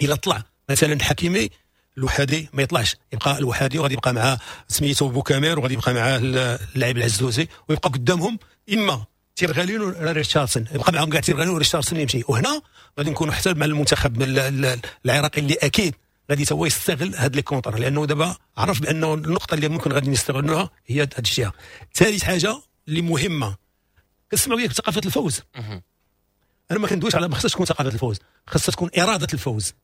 الا طلع مثلا حكيمي الوحدي ما يطلعش، يبقى الوحدي وغادي يبقى مع سميتو بوكامير، وغادي يبقى معاه اللاعب العزوزي، ويبقى قدامهم اما تيرغالين ولا ريتشاردسون، يبقى معاهم كاع تيرغالين وريتشاردسون يمشي. وهنا غادي نكونوا حتى مع المنتخب العراقي اللي اكيد غادي تا هو يستغل هاد les contres، لانه دابا عرف بانه النقطة اللي ممكن غادي نستغلوها هي هاد الشيء. ثالث حاجة اللي مهمة، كنسمعوا ياك ثقافة الفوز. انا ما كندويش على ما خصهاش تكون ثقافة الفوز، خصها تكون اراده الفوز،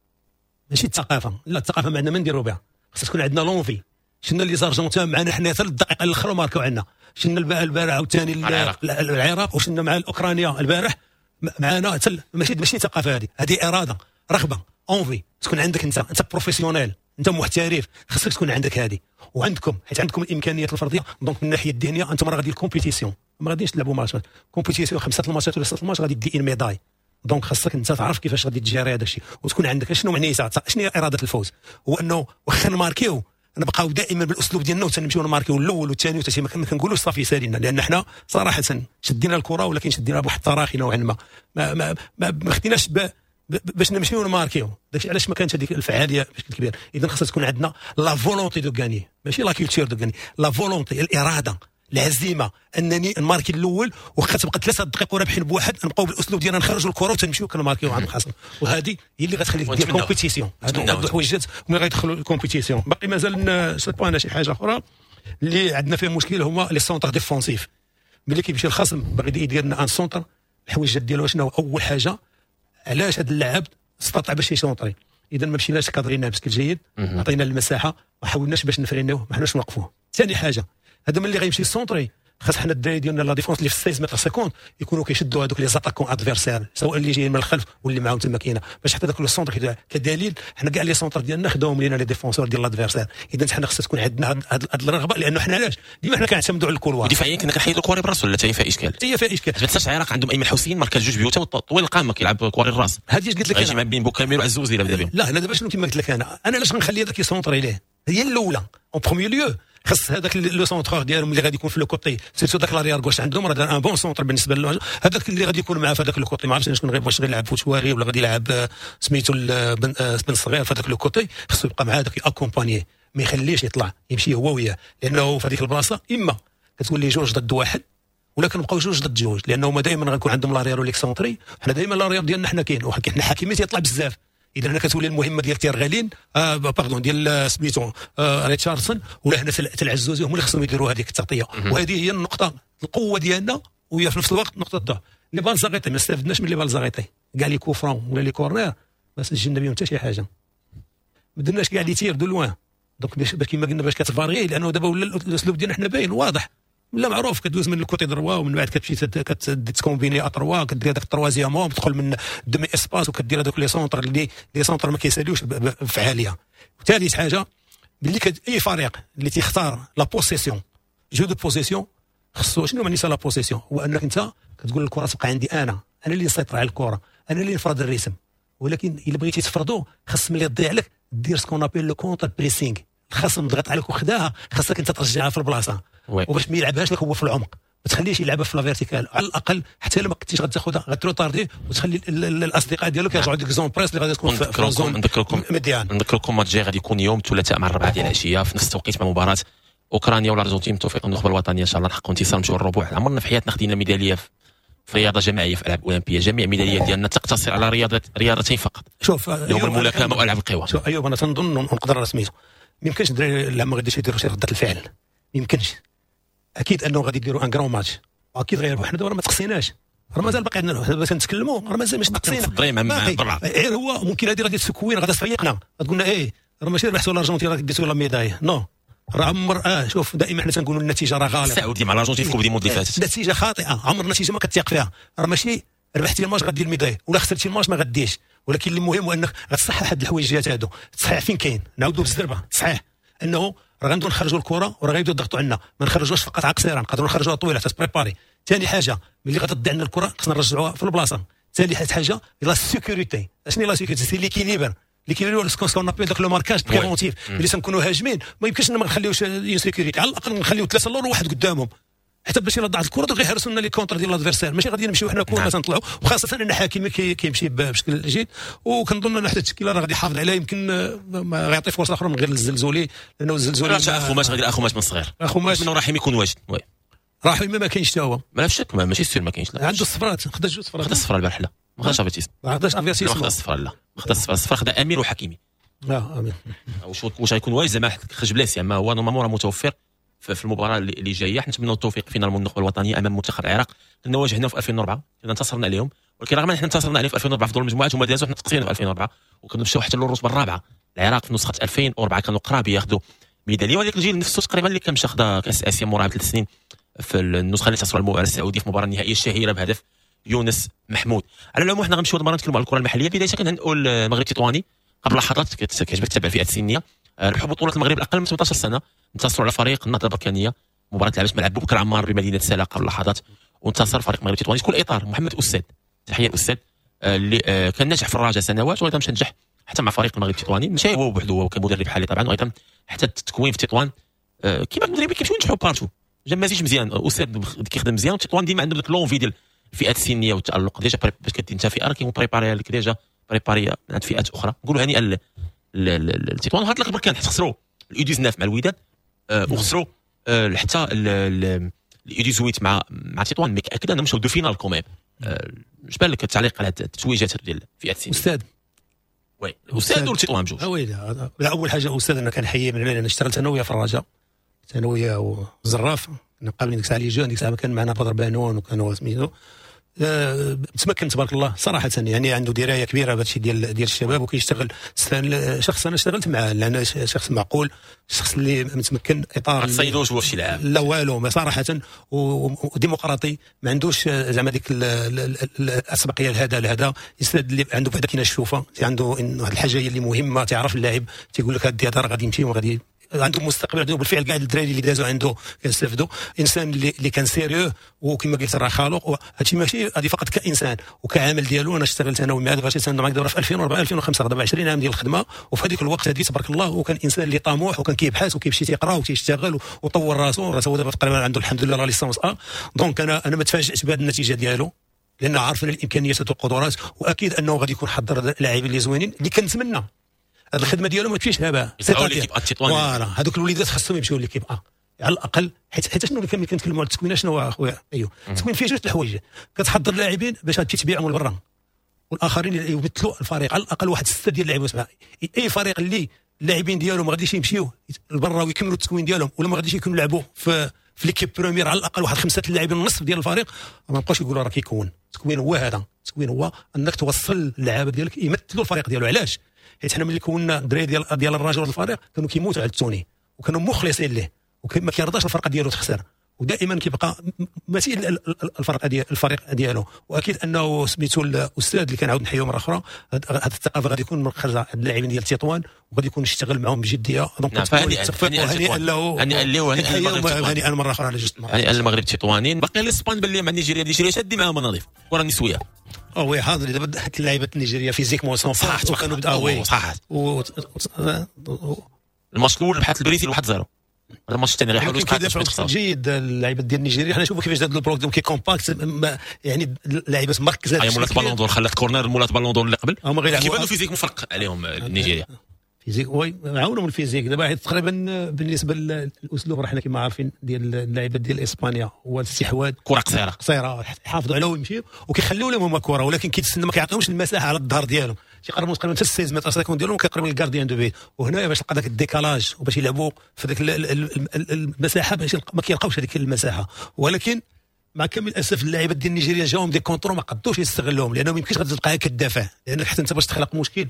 ماشي الثقافة. لا الثقافة ما عندنا ما نديرو بها، خصها تكون عندنا l'envie. شفنا les Argentins معنا حنا حتى الدقيقة الاخرى ماركاو عندنا، شفنا البارح عاوتاني العراق، وشفنا مع الاوكرانيا البارح معنا. ماشي ثقافة هذه، هذه اراده، رغبة، envie تكون عندك انت professionnel، انت محترف، خصك تكون عندك هذه. وعندكم حيت عندكم الامكانيات الفردية، donc من الناحية الذهنية انتم راه غادي ال compétition، ما غاديش تلعبوا ماتشات compétition، 5 الماتشات ولا 6 الماتش غادي دي une médaille. donc خاصك انت تعرف كيفاش غادي تجاري هذا الشيء وتكون عندك شنو معنيتها، شنو هي اراده الفوز. هو انه واخا نماركيو نبقاو دائما بالاسلوب ديالنا وتنمشيو نماركيو الاول والثاني والثالث، ما كنقولوش صافي سالينا، لان حنا صراحة شدينا الكره ولكن شدينا بواحد التراخي نوعا ما، ما ما ما خديناش باش نمشيو نماركيو. داكشي علاش ما كانت هذيك الفعالية بشكل كبير. اذا خاصها تكون عندنا la volonté de gagner، ماشي la culture de gagner، la volonté، الارادة، العزيمة انني نماركي الاول، واخا تبقى 3 دقائق ورابحين بواحد نبقاو بالاسلوب ديالنا نخرجوا الكره وتنمشيو كنماركيو عند الخصم. وهذه هي اللي غتخليك دير compétition. هادو الحويجات ملي غيدخلوا ال compétition. باقي مازال سي شي حاجة اخرى اللي عندنا فيها مشكل، هما les centres défensifs. ملي كيمشي الخصم باغي يدير لنا un centre، الحويجات ديالو شنو؟ اول حاجة علاش هذا اللاعب استطاع باش يسونطري؟ اذا ما مشيناش كادريناه بشكل جيد، عطينا المساحة، ما حاولناش باش نفرينوه، ما حاولناش نوقفوه. ثاني حاجة، هذا ملي غيمشي centrer خاص حنا الدراري ديالنا la défense اللي في 16 متر 50 يكونوا كيشدوا هذوك les attaquants adversaires، سواء اللي جايين من الخلف واللي معاهم تما كاينه، باش حتى داك le centre كدليل حنا كاع les centres ديالنا خداهم لينا les défenseurs ديال l'adversaire. اذا حنا خاص تكون عندنا هذه الرغبة، لانه حنا علاش ديما حنا كنعتمدوا على ال couloir. دفاعيا كنا كنحيدوا الكواري براس ولا حتى فيها اشكال؟ حتى فيها اشكال. ما تنساش العراق عندهم ايمن حسين ماركا 2 بيوت طويل القامة كيلعب كواري الراس. هذه اش قلت لك انا؟ بين بوكامير وعزوزي لا بدا بهم. لا انا دابا شنو كما قلت لك، انا علاش غنخلي هذاك يسونطري ليه؟ هي الاولى en premier lieu. خص هذاك le centreur ديالهم اللي غادي يكون في le côté، surtout داك l'arrière gauche عندهم راه un bon centre بالنسبة له، هذاك اللي غادي يكون معاه في هذاك le côté، ما عرفتش شكون غير، واش غيلعب فوتواري ولا غادي يلعب سميتو بن صغير في هذاك le côté، خصو يبقى مع هذاك accompagner، ما يخليش يطلع، يمشي هو وياه، لانه في هذيك البلاصة اما كتولي جوج ضد واحد ولا كنبقاو جوج ضد جوج، لانه هما دائما غنكون عندهم l'arrière و l'excentré، حنا دائما l'arrière ديالنا حنا كاين، وحنا حكيمي تيطلع بزاف. اذا هنا كتولي المهمة ديال تيرغالين pardon ديال سميتو ريتشاردسون ولا هنا العزوزي، هما اللي خصهم يديروا هذيك التغطيه. وهذه هي النقطة القوة ديالنا، وهي في نفس الوقت نقطة الضعف. les balles arrêtées ما استفدناش من les balles arrêtées، كاع les coups francs ولا les corners ما سجلنا بهم حتى شي حاجه، ما درناش كاع les tirs de loin. donc باش كيما قلنا باش كت varier، لانه دابا ولا الاسلوب ديالنا حنا باين واضح ولا معروف، كدوز من ال côté droit ومن بعد كتمشي كت combiner à trois، كدير هذاك ال troisième homme، تدخل من demi-espace وكدير هذوك les centres اللي les centres ما كيساليوش بفعاليه. وثالث حاجة ملي اي فريق اللي تيختار la possession، jeu de possession، خصو شنو معنيتها la possession؟ هو انك انت كتقول الكره تبقى عندي انا، انا اللي نسيطر على الكره، انا اللي نفرض ال rythme. ولكن الا بغيتي تفرضو خص ملي تضيع لك دير ce qu'on appelle le contre-pressing. الخصم ضغط عليك وخداها، خاصك انت ترجعها في البلاصة، وباش ما يلعبهاش لك هو في العمق، ما تخليش يلعبها في la verticale، على الاقل حتى لو ما كنتيش غتاخذها غت retarder وتخلي الاصدقاء ديالك يرجعوا ديك zone presse اللي غادي تكون في zone نذكركم مديان. نذكركم ماتش جاي غادي يكون يوم الثلاثاء مع 4 ديال العشية في نفس التوقيت مع مباراة اوكرانيا والارجنتين. توفيق النخبة الوطنية ان شاء الله نحققوا انتصار نمشيو للربع. عمرنا في حياتنا خدينا ميدالية في رياضة جماعية في العاب اولمبيه، جميع الميداليات ديالنا تقتصر على رياضتين فقط. شوف يوم الملاكمة والعاب القوى. شوف ايوب، انا تنظن نقدر سميتو ما يمكنش الدراري لا ما غاديش يديروا شي رده الفعل، ما يمكنش. اكيد انه غادي يديروا un grand match، اكيد غيربحوا. حنا دابا ما تقصيناش، راه مازال باقي عندنا، حنا تنتكلموا راه مازال مش تقصينا، مع غير هو ممكن هذه غادي تسكوين، غادي تفيقنا، غتقول لنا ايه راه ماشي ربحتوا الارجنتين راه ديتوا la médaille، non راه عمر شوف دائما حنا تنقولوا النتيجة راه غلط. السعودية مع الارجنتين في Coupe du monde اللي فاتت النتيجة خاطئه، عمر النتيجة ما كتيق فيها، راه ماشي ربحتي الماتش غدير ال médaille ولا خسرتي الماتش ما غديش، ولكن المهم هو انك غتصحح هاد الحويجات هادو. تصحيح فين كاين؟ نعاودوا بالزربه، صحيح انه راه غندو نخرجوا الكره وراه غيبداو يضغطوا عندنا، ما نخرجوش فقط على قصيرة، نقدروا نخرجوها طويلة ت préparer. ثاني حاجة ملي غتضيع عندنا الكره خصنا نرجعوها في البلاصة. ثالث حاجة la sécurité، اشنو la sécurité؟ c'est l'équilibre، l'équilibre ce qu'on appelle داك le marquage préventif. ملي تنكونوا هاجمين ما يمكنش ما نخليوش une sécurité، على الاقل نخليو ثلاثة اللور وواحد قدامهم، حتى باش الا ضاعت الكره غيهرسوا لنا les contres ديال l'adversaire، ماشي غادي نمشيو حنا كلنا تنطلعوا، وخاصة ان حكيمي كيمشي بشكل جيد، وكنظن ان حتى التشكيلة راه غادي يحافظ عليها، يمكن ما غيعطي فرصة اخرى من غير الزلزولي، لانه الزلزولي اخوماش غادي اخوماش من صغير، اخوماش من رحيم يكون واجد. oui رحيم ما كاينش حتى هو، ما في شك، ماشي sûr ما كاينش، لا عنده الصفرات، خدا جوج صفرات، خدا الصفرة البارح، لا ما خداش افيتيس، ما خداش افيتيس، ما خدا الصفرة، لا خدا الصفرة، الصفرة خدا امير وحكيمي. امين. واش غيكون واجد زعما خرج blessé، اما هو normalement راه متوفر في المباراة اللي جاية. نتمنوا التوفيق finalement النخبة الوطنية امام منتخب العراق. كنا واجهناهم في 2004، كنا انتصرنا عليهم، ولكن رغم ان حنا انتصرنا عليهم في 2004 في دور المجموعات هما دازوا، حنا تقصينا في 2004 وكنا مشاو حتى للرتبه الرابعة. العراق في نسخه 2004 كانوا قراب ياخذوا ميدالية، وهذاك الجيل نفسه تقريبا اللي كان مشى خدا كاس اسيا موراها ب3 سنين في النسخة اللي انتصروا على السعودية في المباراة النهائية الشهيرة بهدف يونس محمود. على العموم حنا غنمشيو المرة نتكلموا على الكره المحلية. بداية كنهنئوا المغرب التطواني قبل لحظات، كيعجبك تتابع الفئات السنية، ربحوا بطوله المغرب الاقل من 18 سنة، انتصروا على فريق النهضة البركانيه، مباراة لعبت ملعب بوبكر عمار بمدينة سلا قبل لحظات، وانتصر فريق المغرب التطواني. شكون الاطار؟ محمد استاذ، تحية الاستاذ اللي كان ناجح في الرجاء سنوات، وايضا مشى نجح حتى مع فريق المغرب التطواني، ماشي هو بوحده، هو كمدرب حالي طبعا، وايضا حتى التكوين في تطوان كيما المدربين كيمشيو ينجحوا partout، جا مزيج مزيان، استاذ كيخدم مزيان، وتطوان ديما عندهم ديك l'envie ديال الفئات السنية والتالق، déjà باش كدير انت فئة راه كيكون préparé لك déjà préparé عند فئات اخرى. نقولوا هنيئا لتطوان. وهاد البركان حيت خسروا ال U 19 مع الوداد، وخسروا حتى ال U 18 مع تطوان، mais اكيد انهم مشاو deux finales quand même. اش بان لك التعليق على التتويجات ديال الفئات السنية؟ استاذ oui استاذ وتطوان بجوج. oui لا، اول حاجة استاذ انا كنحيي من هنا، انا اشتغلت انا وياه في الرجاء، انا وياه وزراف، قبل ديك الساعة les jeunes، ديك الساعة كان معنا بدر بانون وكانوا سميتو متمكن تبارك الله صراحة، يعني عنده دراية كبيرة بهذا الشيء ديال الشباب، وكيشتغل شخص انا اشتغلت معاه لان شخص معقول، شخص اللي متمكن اطار ما تصيدوش هو في شي لعاب لا والو، ما صراحة وديمقراطي، ما عندوش زعما ديك الاسبقيه لهذا لهذا، يسند اللي عنده بعدا كاينه الشوفه، عنده واحد الحاجة هي اللي مهمة، تعرف اللاعب تيقول لك هذا راه غادي يمشي وغادي عنده مستقبل، عنده بالفعل كاع الدراري اللي دازوا عنده كنستافدوا. انسان اللي كان sérieux، وكما قلت راه خلوق. هادشي ماشي هذه فقط كانسان وكعامل ديالو. انا اشتغلت انا ومع باش معاك دابا في 2004 2005، دابا 20 عام ديال الخدمة. وفي هذيك الوقت هذه تبارك الله وكان انسان اللي طموح وكان كيبحث وكيمشي تيقرا وتيشتغل وطور راسو. راه دابا تقريبا عنده الحمد لله la licence A. donc انا ما تفاجئتش بهذه النتيجة ديالو، لان عارفين الامكانيات والقدرات، واكيد انه غادي يكون حضر لاعبين اللي زوينين اللي كنتمنى هذه الخدمة ديالو ما تمشيش هباء. voilà هذوك الوليدات خصهم يمشيو l'équipe A على الاقل، حيت شنو اللي كنتكلموا على التكوين، شنو هو اخويا؟ ايوا التكوين فيه جوج الحوايج، كتحضر لاعبين باش تمشي تبيعهم لبرا، والاخرين يمثلوا الفريق على الاقل واحد 6 ديال اللاعبين 7. اي فريق اللي اللاعبين ديالو ما غاديش يمشيو لبرا ويكملوا التكوين ديالهم، ولا ما غاديش يكونوا يلعبوا في l'équipe première على الاقل واحد 5 اللاعبين النصف ديال الفريق، ما نبقاوش يقولوا راه كيكون. التكوين هو هذا، التكوين هو انك توصل اللعابه ديالك يمثلوا الفريق ديالو. علاش؟ حيت حنا ملي كنا الدراري ديال الرجل الفريق كانوا كيموتوا على ال tenue وكانوا مخلصين ليه، وما كيرضاش الفرقة ديالو تخسر، ودائما كيبقى مثيل الفرقة ديال الفريق ديالو. واكيد انه سميتو الاستاذ اللي كنعاود نحييه مرة اخرى، هذه الثقافة غادي يكون من خرج اللاعبين ديال تطوان، وغادي يكون يشتغل معهم بجدية. donc هنيئا له، هنيئا له، هنيئا مرة اخرى على جوج مرات، هنيئا المغرب التطوانيين. باقي الاسبان باللي مع نيجيريا، نيجيريا شادي معاهم نظيف كره النسوية. oui حاضر دابا اللعيبة النيجيريه physiquement صح، وكانوا oui صح. الماتش الاول ربحت البرازيل 1-0، الماتش الثاني غيحاولوا يدافعوا جيد اللعيبة ديال نيجيريا. حنا نشوفوا كيفاش دار ال bloc ديالهم كي compact، يعني اللعيبة مركزه. هي مولات ballon d'or خلات corner مولات ballon d'or اللي قبل، كيبانوا physique مفرق عليهم نيجيريا. physique oui عاونهم ال physique دابا، حيت تقريبا بالنسبة للاسلوب راه حنا كما عارفين ديال اللعيبة ديال اسبانيا هو الاستحواذ، كره قصيرة قصيرة، يحافظوا عليها ويمشيو وكيخليو لهم هما كره، ولكن كيتسنى ما كيعطيهمش المساحة على الظهر ديالهم، تيقربوا تقريبا حتى 16 متر سيكون ديالهم كيقربوا لل gardien de but. وهنا باش تلقى ذاك ال décalage وباش يلعبوا في ذاك المساحة، باش ما كيلقاوش هذيك المساحة. ولكن مع كامل الاسف اللاعبات ديال نيجيريا جاهم des contres ما قدوش يستغلوهم، لانه ما يمكنش غادي تلقاها كدافع، لانك حتى انت باش تخلق مشكل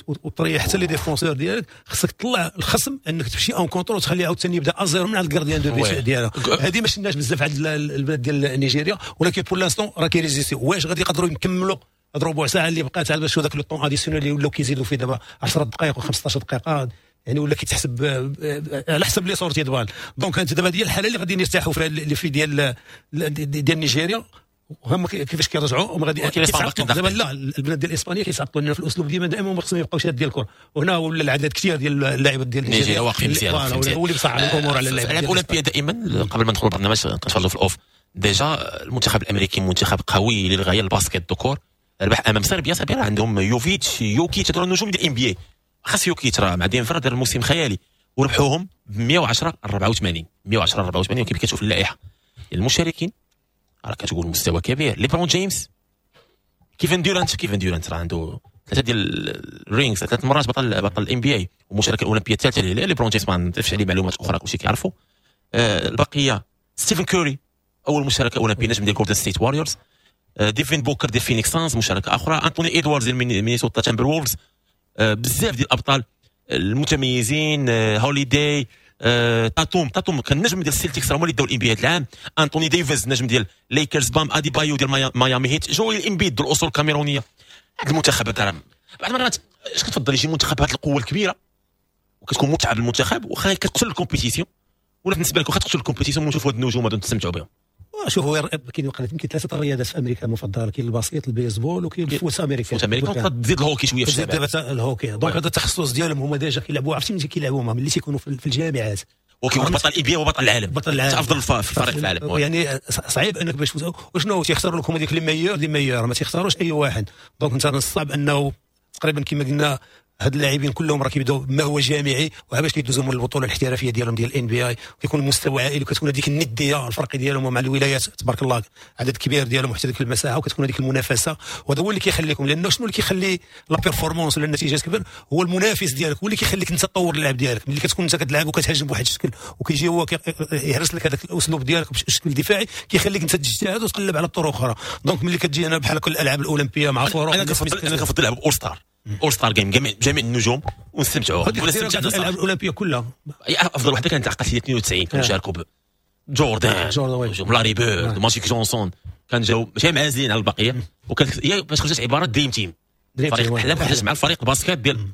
وتريح حتى les défenseurs ديالك خصك تطلع الخصم انك تمشي en contre وتخليه عاوتاني يبدا à zéro من عند ال gardien de but ديالو. هذه ما شفناش بزاف عند البلاد ديال نيجيريا، ولكن pour l'instant راه كي résister. واش غادي يقدروا يكملوا هاد ربع ساعة اللي بقات عاد باش داك le temps additionnel اللي ولاو كيزيدوا فيه دابا 10 دقائق و15 دقيقة، يعني ولا كيتحسب على حسب les sorties de balle. donc انت دابا ديال الحالة اللي غادي يرتاحوا فيها اللي في ديال نيجيريا، وهم كيفاش كيرجعوا وما غادي دابا لا البلاد ديال اسبانيا كيتعطلوا لنا في الاسلوب ديما دائما ما خصهم يبقاو شاد ديال الكره. وهنا ولا العدد كثير ديال اللاعبات ديال نيجيريا واقفين مزيان، هو اللي بصعب الامور على اللاعبين. الالعاب الاولمبية دائما قبل ما ندخلوا البرنامج كنتفرجوا في ال off، déjà المنتخب الامريكي منتخب قوي للغاية. ال basket ذكور ربح امام صربيا، صربيا عندهم يوفيتش يوكيتش هذول النجوم ديال NBA، خاص يوكيتش راه مع دينفر دار الموسم خيالي، وربحوهم ب 110 84 110 84. وكيف كتشوف اللائحة المشاركين راه كتقول مستوى كبير. ليبرون جيمس، كيفن ديورانت، كيفن ديورانت راه عنده 3 ديال ال rings، 3 مرات بطل ال NBA ومشاركة الاولمبية الثالثة ليه. ليبرون جيمس ما نضيفش عليه معلومات اخرى كلشي كيعرفوا. البقية ستيفن كوري اول مشاركة اولمبيه نجم ديال جولدن ستيت واريورز، ديفين بوكر ديال فينيكس سانز مشاركة اخرى، انطوني ادواردز ديال مينيسوتا تامبر وولفز، بزاف ديال الابطال المتميزين، هوليداي، تاتوم كان نجم ديال السيلتيكس هما اللي داو ال NBA هذا العام، انطوني ديفيز نجم ديال ليكرز، بام اديبايو ديال ميامي هيت، جويل امبيد ديال الاصول الكاميرونيه. هذا المنتخب هذا بعض المرات اش كتفضل يجي منتخب هذه القوة الكبيرة وكتكون متعه بالمنتخب واخا كتقتل ال compétition، ولا بالنسبة لك واخا تقتل ال compétition ونشوفوا هاد النجوم هادو نستمتعوا بهم؟ شوفوا كاين يمكن 3 الرياضات في امريكا المفضلة، كاين ال basket، البيسبول، وكاين ال foot américain. foot américain تزيد الهوكي شوية في الشباب، تزيد ال hockey. donc هذا التخصص ديالهم هما déjà كيلعبوا، عرفتي ملي كيلعبوا هما ملي تيكونوا في الجامعات، وكيكون بطل NBA وبطل العالم، بطل العالم افضل في الفريق في العالم. يعني صعيب انك باش وشنو تيختاروا لكم هذيك les meilleurs des meilleurs، ما تيختاروش اي واحد. donc انت الصعب انه تقريبا كما قلنا هاد اللاعبين كلهم راه كيبداو ما هو جامعي وباش كيدوزوا من البطولة الاحترافية ديالهم ديال NBA، كيكون المستوى عالي وكتكون هذيك الندية الفرق ديالهم مع الولايات تبارك الله عدد كبير ديالهم وحتى ديك المساحة، وكتكون هذيك المنافسة. وهذا هو اللي كيخليكم، لانه شنو اللي كيخلي la performance ولا النتيجة تكبر هو المنافس ديالك، هو اللي كيخليك انت تطور اللعب ديالك. ملي كتكون انت كتلعب وكتهاجم بواحد الشكل وكيجي هو يهرس لك هذاك الاسلوب ديالك بشكل دفاعي، كيخليك انت تجتهد وتقلب على الطرق اخرى. donc ملي كتجي انا بحال كل الالعاب الاولمبية مع فرق، انا كنفضل نلعب all star، all star game، جميع النجوم ونستمتعوا. ولا استمتعنا الالعاب الاولمبية كلها. افضل وحده كانت عقلت هي 92، كانوا شاركوا جوردان، لاري بيرد، ماجيك جونسون، كان جاو ماشي معازلين على البقية. وكانت هي باش خرجت عبارة dream team، فريق الاحلام خرج مع الفريق ال basket ديال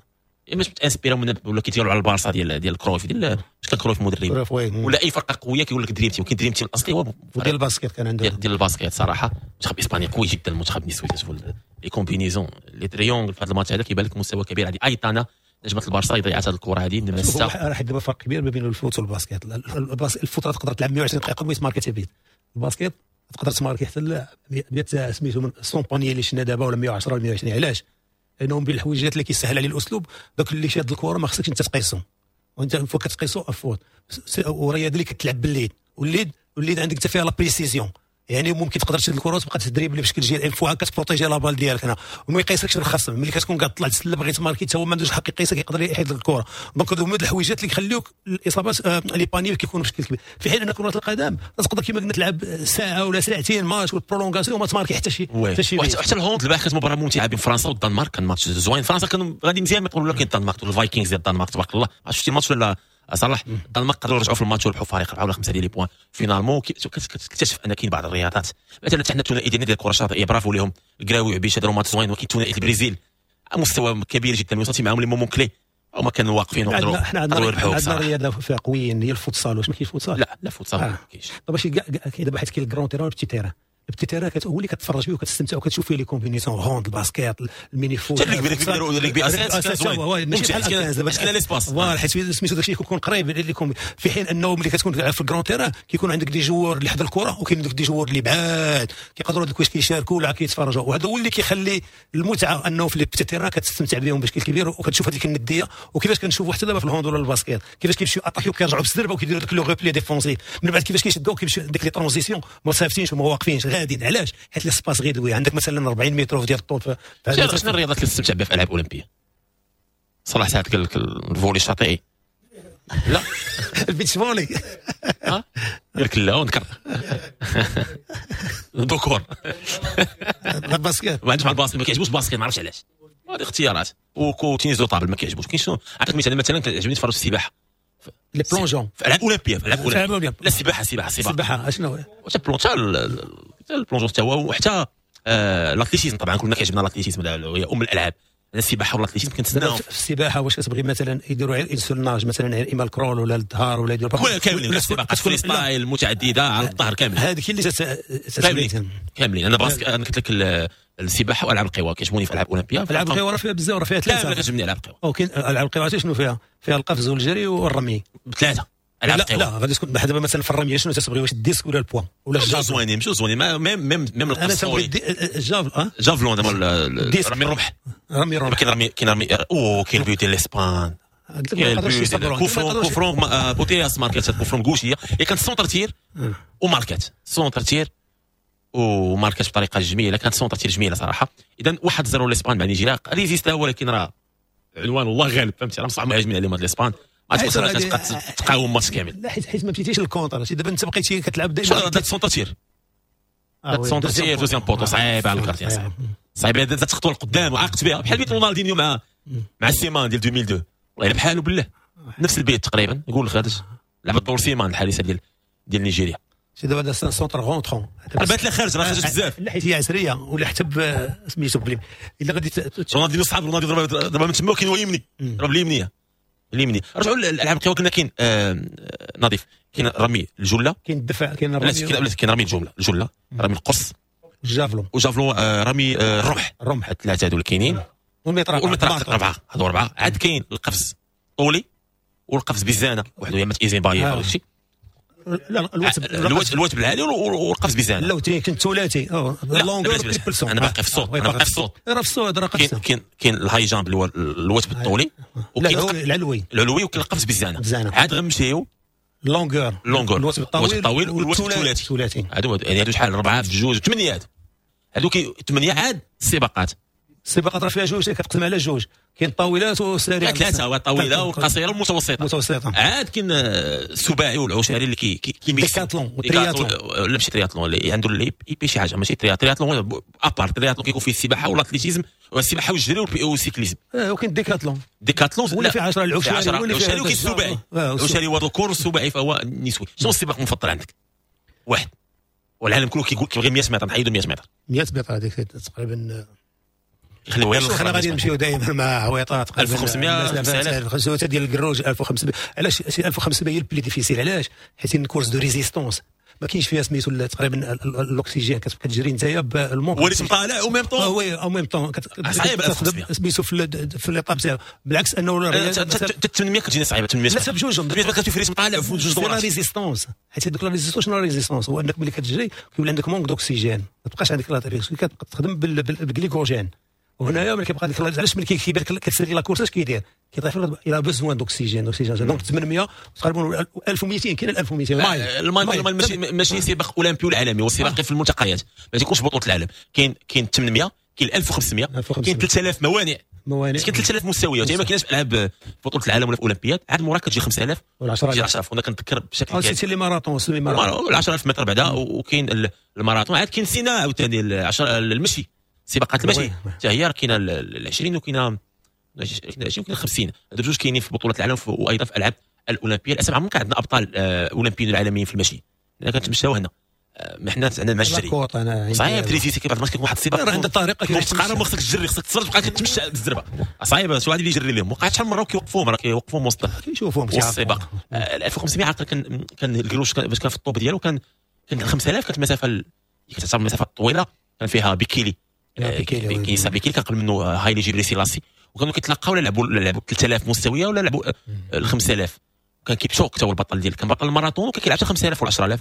باش تانسبيراو من ولا كيتيروا على البارسا ديال كرويف، ديال اش كان كرويف مدرب ولا اي فرقه قوية كيقول لك dream team. كاين dream team الاصلي هو ديال ال basket، كان عنده ديال ال basket. صراحة منتخب اسبانيا قوي جدا، المنتخب النسوي تشوفوا les combinaisons les triangles في هذا الماتش هذا كيبان لك مستوى كبير. هذه ايطانا نجمه البارسا ضيعت هذه الكره هذه من الستة. راه دابا فرق كبير ما بين ال foot وال basket. ال foot تقدر تلعب 120 دقيقة وما تماركي but. ال basket تقدر تماركي حتى 100 سميتو من 100 paniers اللي شفنا دابا ولا 110 ولا 120. علاش؟ لانهم بين الحويجات اللي كيسهل عليه الاسلوب، داك اللي شاد الكره ما خصكش انت تقيسهم، وانت فوق كتقيسو faute. والرياضة اللي كتلعب بالليد، والليد عندك انت فيها la précision، يعني ممكن تقدر تشد الكره وتبقى تدريبلي بشكل جيد une fois كتبروتيجي la balle ديالك هنا وما يقيسكش الخصم. ملي كتكون كتطلع تسلم بغيت تماركي حتى هو ما عندوش الحق يقيسك، يقدر يحيد لك الكره. donc هادو هما الحويجات اللي يخليوك الاصابات les paniers كيكونوا بشكل كبير. في حين ان كره القدم تقدر كما قلنا تلعب ساعة ولا ساعتين ماتش وال prolongation وما تماركي حتى شي حتى شي. حتى ال hand البارح كانت مباراة ممتعة بين فرنسا والدنمارك، كان ماتش زوين. فرنسا كانوا غادي مزيان ما يقولوا، لكن الدنمارك ال Vikings ديال الدنمارك تبارك الله. شفتي الماتش ولا صلاح؟ الدنمارك قدروا يرجعوا في الماتش وربحوا فريق 4 ولا 5 ديال les points finalement. كتكتشف ان كاين بعض الرياضات مثلا حنا الثنائي ديالنا ديال الكره الشاطئيه برافو لهم، الكراوي وعبيشه داروا ماتش زوين، ولكن الثنائي البرازيل مستوى كبير جدا، وصلتي معاهم les moments clés هما كانوا واقفين وقدروا. حنا عندنا رياضة فيها قويين هي الفوتسال. واش ما كاينش فوتسال؟ لا لا فوتسال ما كاينش. دابا شي دابا حيت كاين ال grand terrain وال petit terrain. ال petit terrain هو اللي كتفرج فيه وكتستمتع وكتشوف فيه les combinaisons، hand، ال basket، ال mini-foot، حتى ال rugby اساس ماشي بحال باش كاين l'espace voilà، حيت سميتو داكشي كيكون قريب لكم. في حين انه ملي كتكون في ال grand terrain كيكون عندك des joueurs اللي حدا الكره وكاين عندك des joueurs اللي بعاد كيقدروا دوك كيشاركوا ولا كيتفرجوا، وهذا هو اللي كيخلي المتعة انه في les petits terrains كتستمتع بهم بشكل كبير وكتشوف هذيك الندية. وكيفاش كنشوفوا حتى دابا في ال hand ولا ال basket كيفاش كيمشيو اتاكيو كيرجعوا بالزربه وكيديروا داك le repli défensif، من بعد كيفاش كيشدوا كيمشيو ديك les transitions ما صافتينش وما واقفينش غاديين. علاش؟ حيت l'espace réduit عندك مثلا 40 متر ديال الطول. شنو الرياضات اللي تستمتع بها في العاب اولمبيه؟ صلاح ساعات قال لك ال volley الشاطئي. لا ال beach volley. ها قال لك لا ونكر ذكور ال basket ما عندوش مع ال basket، ما كيعجبوش ال basket ما عرفتش علاش. هذه اختيارات. و tennis de table ما كيعجبوش. كاين شنو عطيك مثلا، مثلا كيعجبني نتفرج في السباحة les plongeons في الالعاب الاولمبية. في الالعاب الاولمبية لا السباحة السباحة السباحة اشنو حتى ال plongeon حتى هو، وحتى l'athlétisme طبعا كلنا كيعجبنا l'athlétisme هي ام الالعاب. السباحة وال athlétisme كنتسناو في السباحة. واش كتبغي مثلا يديروا غير une seule nage مثلا اما ال crawl ولا الظهر ولا يديروا كاملين السباقات freestyle المتعددة على الظهر كامل؟ هذيك اللي كاملين كاملين. انا basket انا قلت لك السباحة والعاب القوى كيعجبوني في العاب الاولمبية. العاب القوى راه فيها بزاف، راه فيها ثلاثة. لا كتعجبني العاب القوى. كاين العاب القوى شنو فيها؟ فيها القفز والجري والرمي بثلاثة. لا لا غادي تكون دابا مثلا في الرمية شنو تتبغي، واش ال disque ولا ال poids ولا ال javelot؟ زوينين مشوا زوينين même même انا تنبغي ال javelot. javelot دابا رمي الرمح. رمي الرمح كاين رمي، كاين رمي او كاين but ديال الاسبان، كاين coup franc، coup franc بوتياس ماركات coup franc gaucher، هي كانت centre tir وماركات centre tir وماركات بطريقة جميلة، كانت centre tir جميلة صراحة. اذا 1-0 الاسبان مع نيجيريا ريزيستا، ولكن راه عنوان الله غالب فهمتي، راه صعب مهاجمين عليهم هاد الاسبان، ما تقدرش تبقى تقاوم ماتش كامل. لا حيت ما مشيتيش لل contre، دابا انت بقيتي كتلعب دائما داك centre tir، داك centre tir deuxième poteau صعيب على ال gardien، صعيب صعيب تخطو لقدام وعاقت بها بحال بيت رونالدينيو مع سيمان ديال 2002 والله الا بحالو بالله نفس البيت تقريبا. نقول لك هذا لعب دور سيمان الحارسه ديال نيجيريا. سي دابا هذا centre rentrant بات لا خارج راه خرج بزاف. لا حيت هي عسريه ولا حتى سميتو بليم الا غادي رونالدينيو صحاب رونالدينيو ضربها من تما وكاين هو يمني ضرب اليمنية اليمني. رجعوا للالعاب القوى كنا كاين نظيف، كاين رمي الجله، كاين الدفع، كاين الرمي، كاين رمي الجله، رمي القرص، ال javelot، و javelot رمي الرمح، الرمح الثلاثة هادو اللي كاينين، والمطرقه اربعة، هادو اربعة. عاد كاين القفز طولي والقفز بالزانه وحده يا ايزين باي ولا شي. لا الوثب العالي والقفز بالزانه. لا كاين الثلاثي longueur triple saut. انا باقي في ال saut، انا باقي في ال saut، راه في ال saut راه قفز. كاين ال high jump اللي هو الوثب الطولي، وكاين العلوي العلوي، وكاين القفز بالزانه. عاد غنمشيو longueur longueur الوثب الطويل والوثب الثلاثي. هادو يعني هادو شحال 4 في 2 8 هادو كي 8. عاد السباقات السباقات راه فيها جوج، كتقسم على جوج، كاين الطاولات والسريع. ثلاثة، الطاولة والقصيره والمتوسطة. المتوسطة. عاد كاين السباعي والعشاري اللي كي décathlon وال triathlon. لا ماشي ترياتلون، اللي عنده l'épée شي حاجة ماشي triathlon à part. triathlon كيكون فيه السباحة وال athlétisme والسباحه والجري وال cyclisme. وكاين décathlon. décathlon ولا في 10 العشاري ولا وكاين السباعي. العشاري هو ذكور والسباعي فهو نسوي. شنو السباق المفضل عندك؟ واحد والعالم كله كيقول كيبغي 100 متر، نحيدوا 100 متر. 100 متر هذيك تقريبا يخليو غير حنا غادي نمشيو دائما مع عويطات 1500 5000 ديال الكروج 1500. علاش 1500 هي ال plus difficile؟ علاش؟ حيت une course de résistance ما كاينش فيها سميتو تقريبا الاكسجين، كتبقى تجري نتايا بال manque وليت مطالع و même temps oui au même temps صعيب سميتو في l'étape تاعو. بالعكس انه 800 كتجيني صعيبة. 800 لا بجوج 800 كتمشي في rythme طالع في جوج دورات. la résistance، حيت هذوك la résistance شنو la résistance؟ هو انك ملي كتجري كيولي عندك manque d'oxygène، ما تبقاش عندك la كتبقى تخدم بالجليكوجين. وهنايا ملي كيبقى ديك علاش ملي كيبان كتسالي la course اش كيدير؟ كيطيح il a besoin d'oxygène oxygène. donc 800 تقريبا 1200 كاين 1200 mile. ال mile ماشي سباق اولمبي ولا عالمي، هو سباق في الملتقيات، ما تيكونش بطوله العالم. كاين 800، كاين 1500، كاين 3000 موانع، كاين 3000 مستويات. ما كاينش في العاب بطوله العالم ولا في الاولمبياد. عاد موراك كتجي 5000 ولا 10000. وانا كنتذكر بشكل كبير c'est les marathons، les 10000 متر بعدا، وكاين الماراثون. عاد كاين سينا عاوتاني المشي، سباقات المشي حتى هي راه كاينه ال 20 وكاينه 20 وكاينه 50. هادو بجوج كاينين في بطوله العالم وايضا في الالعاب الاولمبية. للاسف عمرنا كان عندنا ابطال اولمبيين العالميين في المشي، لان كنتمشاو هنا حنا عندنا مع الجري صعيب. تريفيسي كيف بعض المرات كيكون واحد السباق راه عندها طريقه كيفاش تقارن، خصك تجري، خصك تصبر تبقى كتمشى بالزربه، صعيبة. شي واحد اللي يجري لهم وقعت شحال من مرة وكيوقفوهم، راه كيوقفوهم وسط كيشوفوهم السباق. 1500 عاد كان الكروش باش كان في ال top ديالو، كان 5000 كانت مسافة كتعتبر مسافة طويلة، كان فيها بيكيلي كينيسا بيكيلي، كان قبل منه هايلي جبري سيلاسي، وكانوا كيتلاقاو ولا لعبوا 3000 مستوية ولا لعبوا 5000. كان كيبشوك حتى هو البطل ديال، كان بطل الماراثون وكان كيلعب حتى 5000 ولا 10000.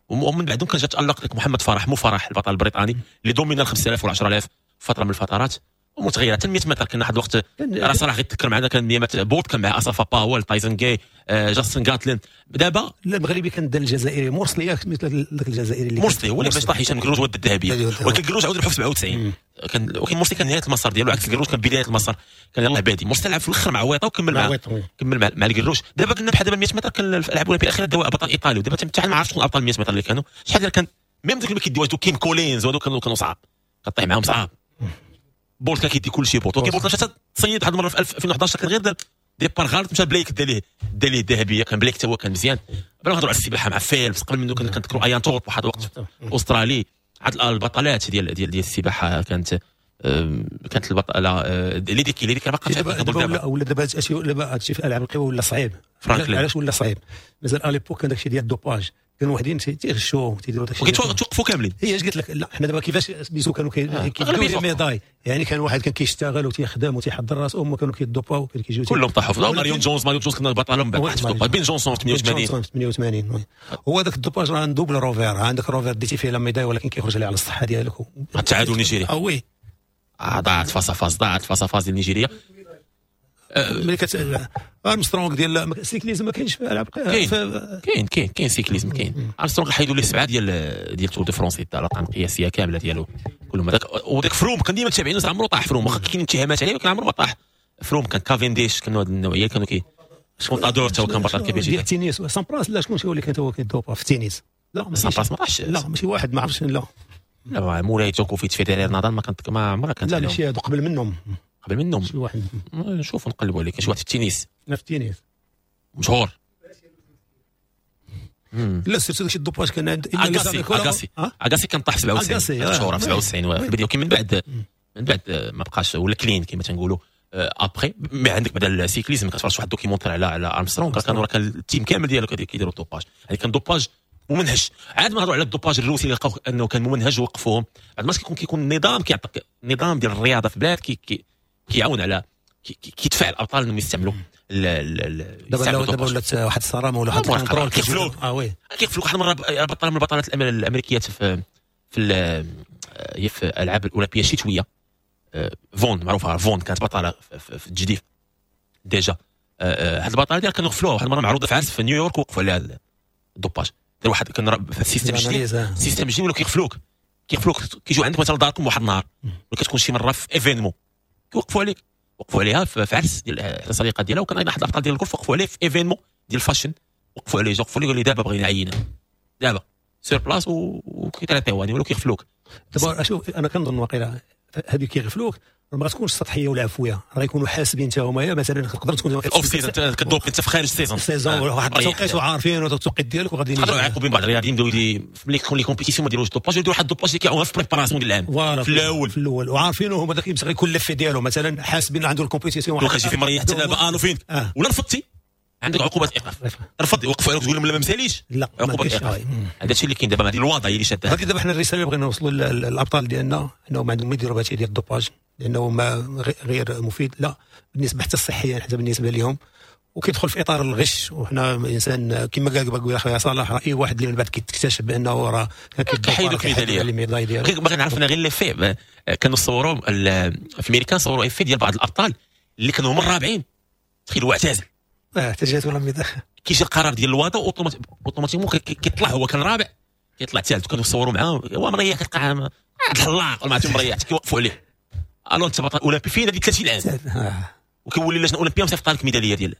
ومن بعدهم كان جا تالق لك محمد فرح، مو فرح البطل البريطاني اللي domina 5000 ولا 10000 فترة من الفترات ومتغيره. حتى 100 متر كان واحد الوقت راه صراحة غير تذكر معنا، كان 100 متر بولت كان مع اسافا باول، تايزن جاي، جاستن غاتلين. دابا لا المغربي كان دا الجزائري مرسلي، مثل ذاك الجزائري اللي مرسلي هو اللي باش طاح هشام كروج ود الذهبية، ولكن كروج عاود ربحو في 97. كان ولكن مرسلي كان نهاية المسار ديالو، عكس الكروج كان بداية المسار، كان يلاه بادي. مرسلي لعب في الاخر مع ويطا وكمل مع كمل مع الكروج. دابا قلنا بحال دابا 100 متر كان الالعاب الاولمبية الاخيرة داو بطل ايطالي، ودابا حتى ما عرفتش شكون ابطال 100 متر اللي كانوا شحال كان. même دوك اللي كيديو كيم كولينز وهذوك كانوا صعاب، كطيح معاهم صعاب. بولت كان كيدي كلشي بولت، ولكن بولت مشى تصيد واحد المرة في 2011 كان غير دار départ غلط، مشى بلايك دا ليه الذهبية. كان بلايك حتى هو كان مزيان. بلا نهضروا على السباحة مع فيلبس، قبل منه كنذكروا ايان تورب واحد الوقت استرالي. عاد البطلات ديال ديال ديال السباحة كانت البطلة ليديكي باقا ولا دابا هادشي في الالعاب القوى ولا صعيب. علاش ولا صعيب؟ مازال à l'époque كان داكشي ديال ال dopage، كانوا وحدين تيغشوا تيديروا داكشي وكيتوقفوا كاملين. هي اش قلت لك؟ لا حنا دابا كيفاش سميتو كانوا كيديروا médailles، يعني كان واحد كان كيشتغل وتيخدم وتيحضر راسو، هما كانوا كيدوباو كانوا كيجيو كلهم طاحوا في ماريون جونز. ماريون جونز كنا بطلهم بعد في بين جونسون في 88. هو هذاك ال dopage راه double revers، عندك revers ديتي فيه la médaille ولكن كيخرج عليه على الصحة ديالك. التعادل النيجيري oui ضاعت face à face، ضاعت face à face ديال نيجيريا. ملي كت ارمسترونغ ديال ال cyclisme ما كاينش في العاب. كاين كاين كاين cyclisme كاين. ارمسترونغ حيدوا ليه 7 ديال Tour de France، الارقام القياسية كاملة ديالو كلهم. هذاك وداك فروم كان ديما تابعينو، عمرو طاح فروم، واخا كاين اتهامات عليه ولكن عمرو ما طاح فروم. كان كافينديش، كانوا هاد النوعية كانوا كي كونتادور حتى هو كان بطل كبير ديال التنس. سامبراس لا شكون هو اللي كان هو كيدوبا في التنس؟ لا سامبراس ما طاحش، لا ماشي واحد ما عرفتش. لا لا مولاي جوكوفيتش فيدرير نادال ما كانت ما عمرها كانت. لا ماشي هادو قبل منهم، قبل منهم شي واحد نشوف نقلبوا عليه. كاين شي واحد في التنس، في التنس مشهور. لا surtout داكشي ال dopage كان عند اغاسي. اغاسي كان طاح في 97 مشهور في 97 الفيديو. كي من بعد ما بقاش ولا clean كما تنقولوا après. mais عندك بعدا ال cyclisme كتفرج واحد documentaire على ارمسترونغ، كانوا راه كان ال team كامل ديالو كيديروا ال dopage. يعني كان dopage ممنهج. عاد ما هضروا على ال dopage الروسي اللي لقاو انه كان ممنهج ووقفوهم. بعد ما كيكون النظام كيعطيك النظام ديال الرياضة في بلاد كيعاون على كيدفع الابطال انهم يستعملوا دابا ولات واحد الصرامه ولا واحد ال contrôle كيقفلوك. oui كيقفلوك. واحد المرة بطلة من البطلات الامريكيات في في هي في الالعاب الاولمبية الشتوية، فون معروفة، فون كانت بطلة في التجديف déjà. هاد البطلة ديالها كانوا غفلوها واحد المرة معروضة في عرس في نيويورك، وقفوا عليها ال dopage. دار واحد كان في ال système الجديد، ال système الجديد ولاو كيغفلوك كيجيو عندك مثلا لداركم واحد النهار، ولا كتكون شي مرة في événement كيوقفوا عليك. وقفوا عليها في عرس ديال الصديقة ديالها، وكان ايضا احد الابطال ديال الجولف وقفوا عليه في événement ديال ال fashion، وقفوا عليه وقفوا عليه قالوا لي دابا بغينا عينه دابا sur place وكيتريطيو يعني ولاو كيغفلوك. دابا شوف انا كنظن واقيلا هذه كيغفلوك ما غتكونش سطحية ولا عفوية، راه يكونوا حاسبين حتى هما. مثلا تقدر تكون off season كدوب انت في خارج ال saison واحد التوقيت وعارفين التوقيت ديالك وغادي يقدروا يعاقبوا بين بعض الرياضيين يبداو ملي تكون les compétitions ما يديروش dopage، يديروا واحد ال dopage اللي كيعاونها في préparation ديال العام في الاول وعارفين هما داك غيكون l'effet ديالو. مثلا حاسبين عنده ال compétition واحد في مريح حتى دابا الو فين ولا رفضتي عندك عقوبه ايقاف، رفض يوقفوا عليك تقول لهم لا ما مساليش، لا عقوبه ايقاف. هذا الشيء اللي كاين دابا، هذه الوضعية اللي شادها. هذه دابا حنا الرسالة اللي بغينا نوصلوا للابطال ديالنا انهم ما عندهم ما يديروا بهادشي ديال ال dopage، لانه ما غير مفيد لا بالنسبة حتى الصحيا حتى بالنسبة لهم، وكيدخل في اطار الغش. وحنا انسان كما قال قبيلة خويا صلاح، راه اي واحد اللي من بعد كيكتشف بانه راه كيحيدوك الميداليه. باغي نعرف انا غير les faits كانوا صوروا في امريكا، صوروا effet ديال بعض الابطال اللي كانوا هما الرابعين، تخيل هو اعتزل تجات ولا médaille، كيجي القرار ديال الوادا automatiquement كيطلع، هو كان رابع كيطلع ثالث، كانوا يصوروا معاه هو مريح، كتلقى الحلاق ولا ما مريح كيوقفوا عليه. الو انت بطل اولمبي فين هذيك 30 عام، وكيولي اللجنة الاولمبية مصيفطه لك ميدالية ديال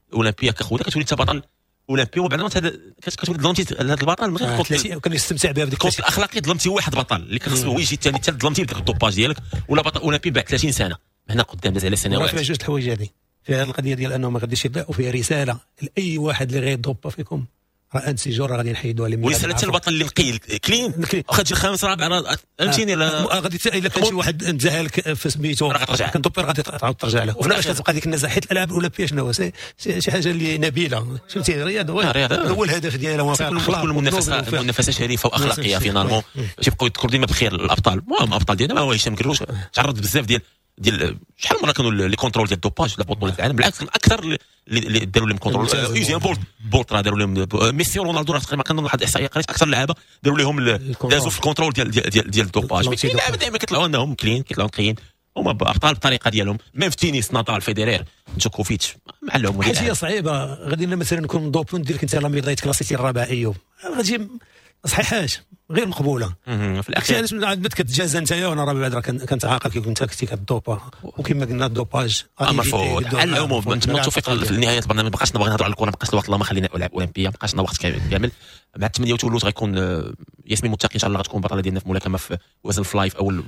الاولمبية كخوذه، كتولي انت بطل اولمبي، وبعد ما كتولي ظلمتي هذا البطل من غير كان يستمتع بها بديك ال côté الاخلاقي، ظلمتي واحد بطل اللي كان خصو هو يجي الثاني الثالث، ظلمتي بداك ال dopage ديالك، ولا بطل اولمبي بعد 30 سنة هنا قدام داز على سنوات. فيها جوج الحوايج هذه، فيها القضية ديال انه ما غاديش يبدا، وفيها رسالة لاي واحد اللي غيدوبا فيكم راه un de ces jours راه غادي نحيدوها لهم. ورسالة حتى البطل اللي نقي clean واخا تجي الخامس رابع فهمتيني، غادي الا كان شي واحد نزهلك في سميتو كندوبي غادي تعاود ترجع له. وفي كتبقى ديك النزاهة، حيت الالعاب الاولمبية شنو هو شي حاجة اللي نبيلة، فهمتي الرياضة هو الهدف ديالها، كل منافسه شريفه واخلاقيه finalement، باش يبقاو يذكروا ديما بخير الابطال. المهم الابطال ديالنا ما هو هشام كروش تعرض بزاف ديال شحال مرة كانوا les contrôles ديال ال dopage لا بطوله العالم، بالعكس اكثر اللي داروا لهم contrôle. يوزين بولت راه داروا لهم، ميسي ورونالدو راه تقريبا كنظن واحد الاحصائية قريت اكثر لعابه داروا لهم دازوا في ال contrôle ديال ديال ديال ال dopage. اللعابه دائما كيطلعوا انهم clean، كيطلعوا نقيين، هما ابطال بالطريقة ديالهم. même في التنس نادال فيدرير جوكوفيتش معلهم. حيت هي صعيبة، غادي مثلا نكون dopé ندير لك انت la médaille كلاسيتي الرابع ايوب، غادي صحيحاش غير مقبولة في الاخير. علاش من كتجازى انت وانا راه بعد راه كنتعاقب كي كنت كنتي كدوبا، وكما قلنا ال dopage مرفوض. على العموم نتمنى التوفيق في نهاية البرنامج. ما بقاش نبغي نهضروا على الكره، ما بقاش الوقت، اللهم خلينا العاب اولمبيه، ما بقاش لنا وقت كامل. مع 8 وثلث غيكون ياسمين متقي ان شاء الله غتكون بطلة ديالنا في ملاكمة في وزن fly في اول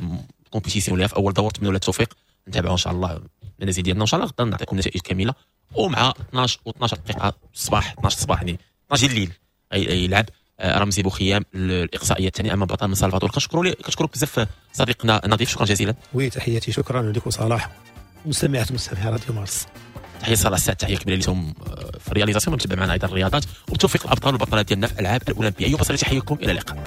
compétition ليها في اول دور. نتمنى لها التوفيق، نتابعوا ان شاء الله المنازل ديالنا، وان شاء الله غدا نعطيكم نتائج كاملة. ومع 12 و12 دقيقة الصباح، 12 الصباح يعني 12 الليل يلعب رمزي بوخيام الاقصائية الثانية امام بطل من سلفادور. كنشكرك بزاف صديقنا نظيف، شكرا جزيلا. oui تحياتي، شكرا لك صلاح مستمعات مستمعي راديو مارس. تحية صلاح السعد، تحية كبيرة لهم في ال réalisation، متابع معنا ايضا الرياضات، وبالتوفيق الابطال والبطلات ديالنا في الالعاب الاولمبية. ايوب بصري تحييكم، الى اللقاء.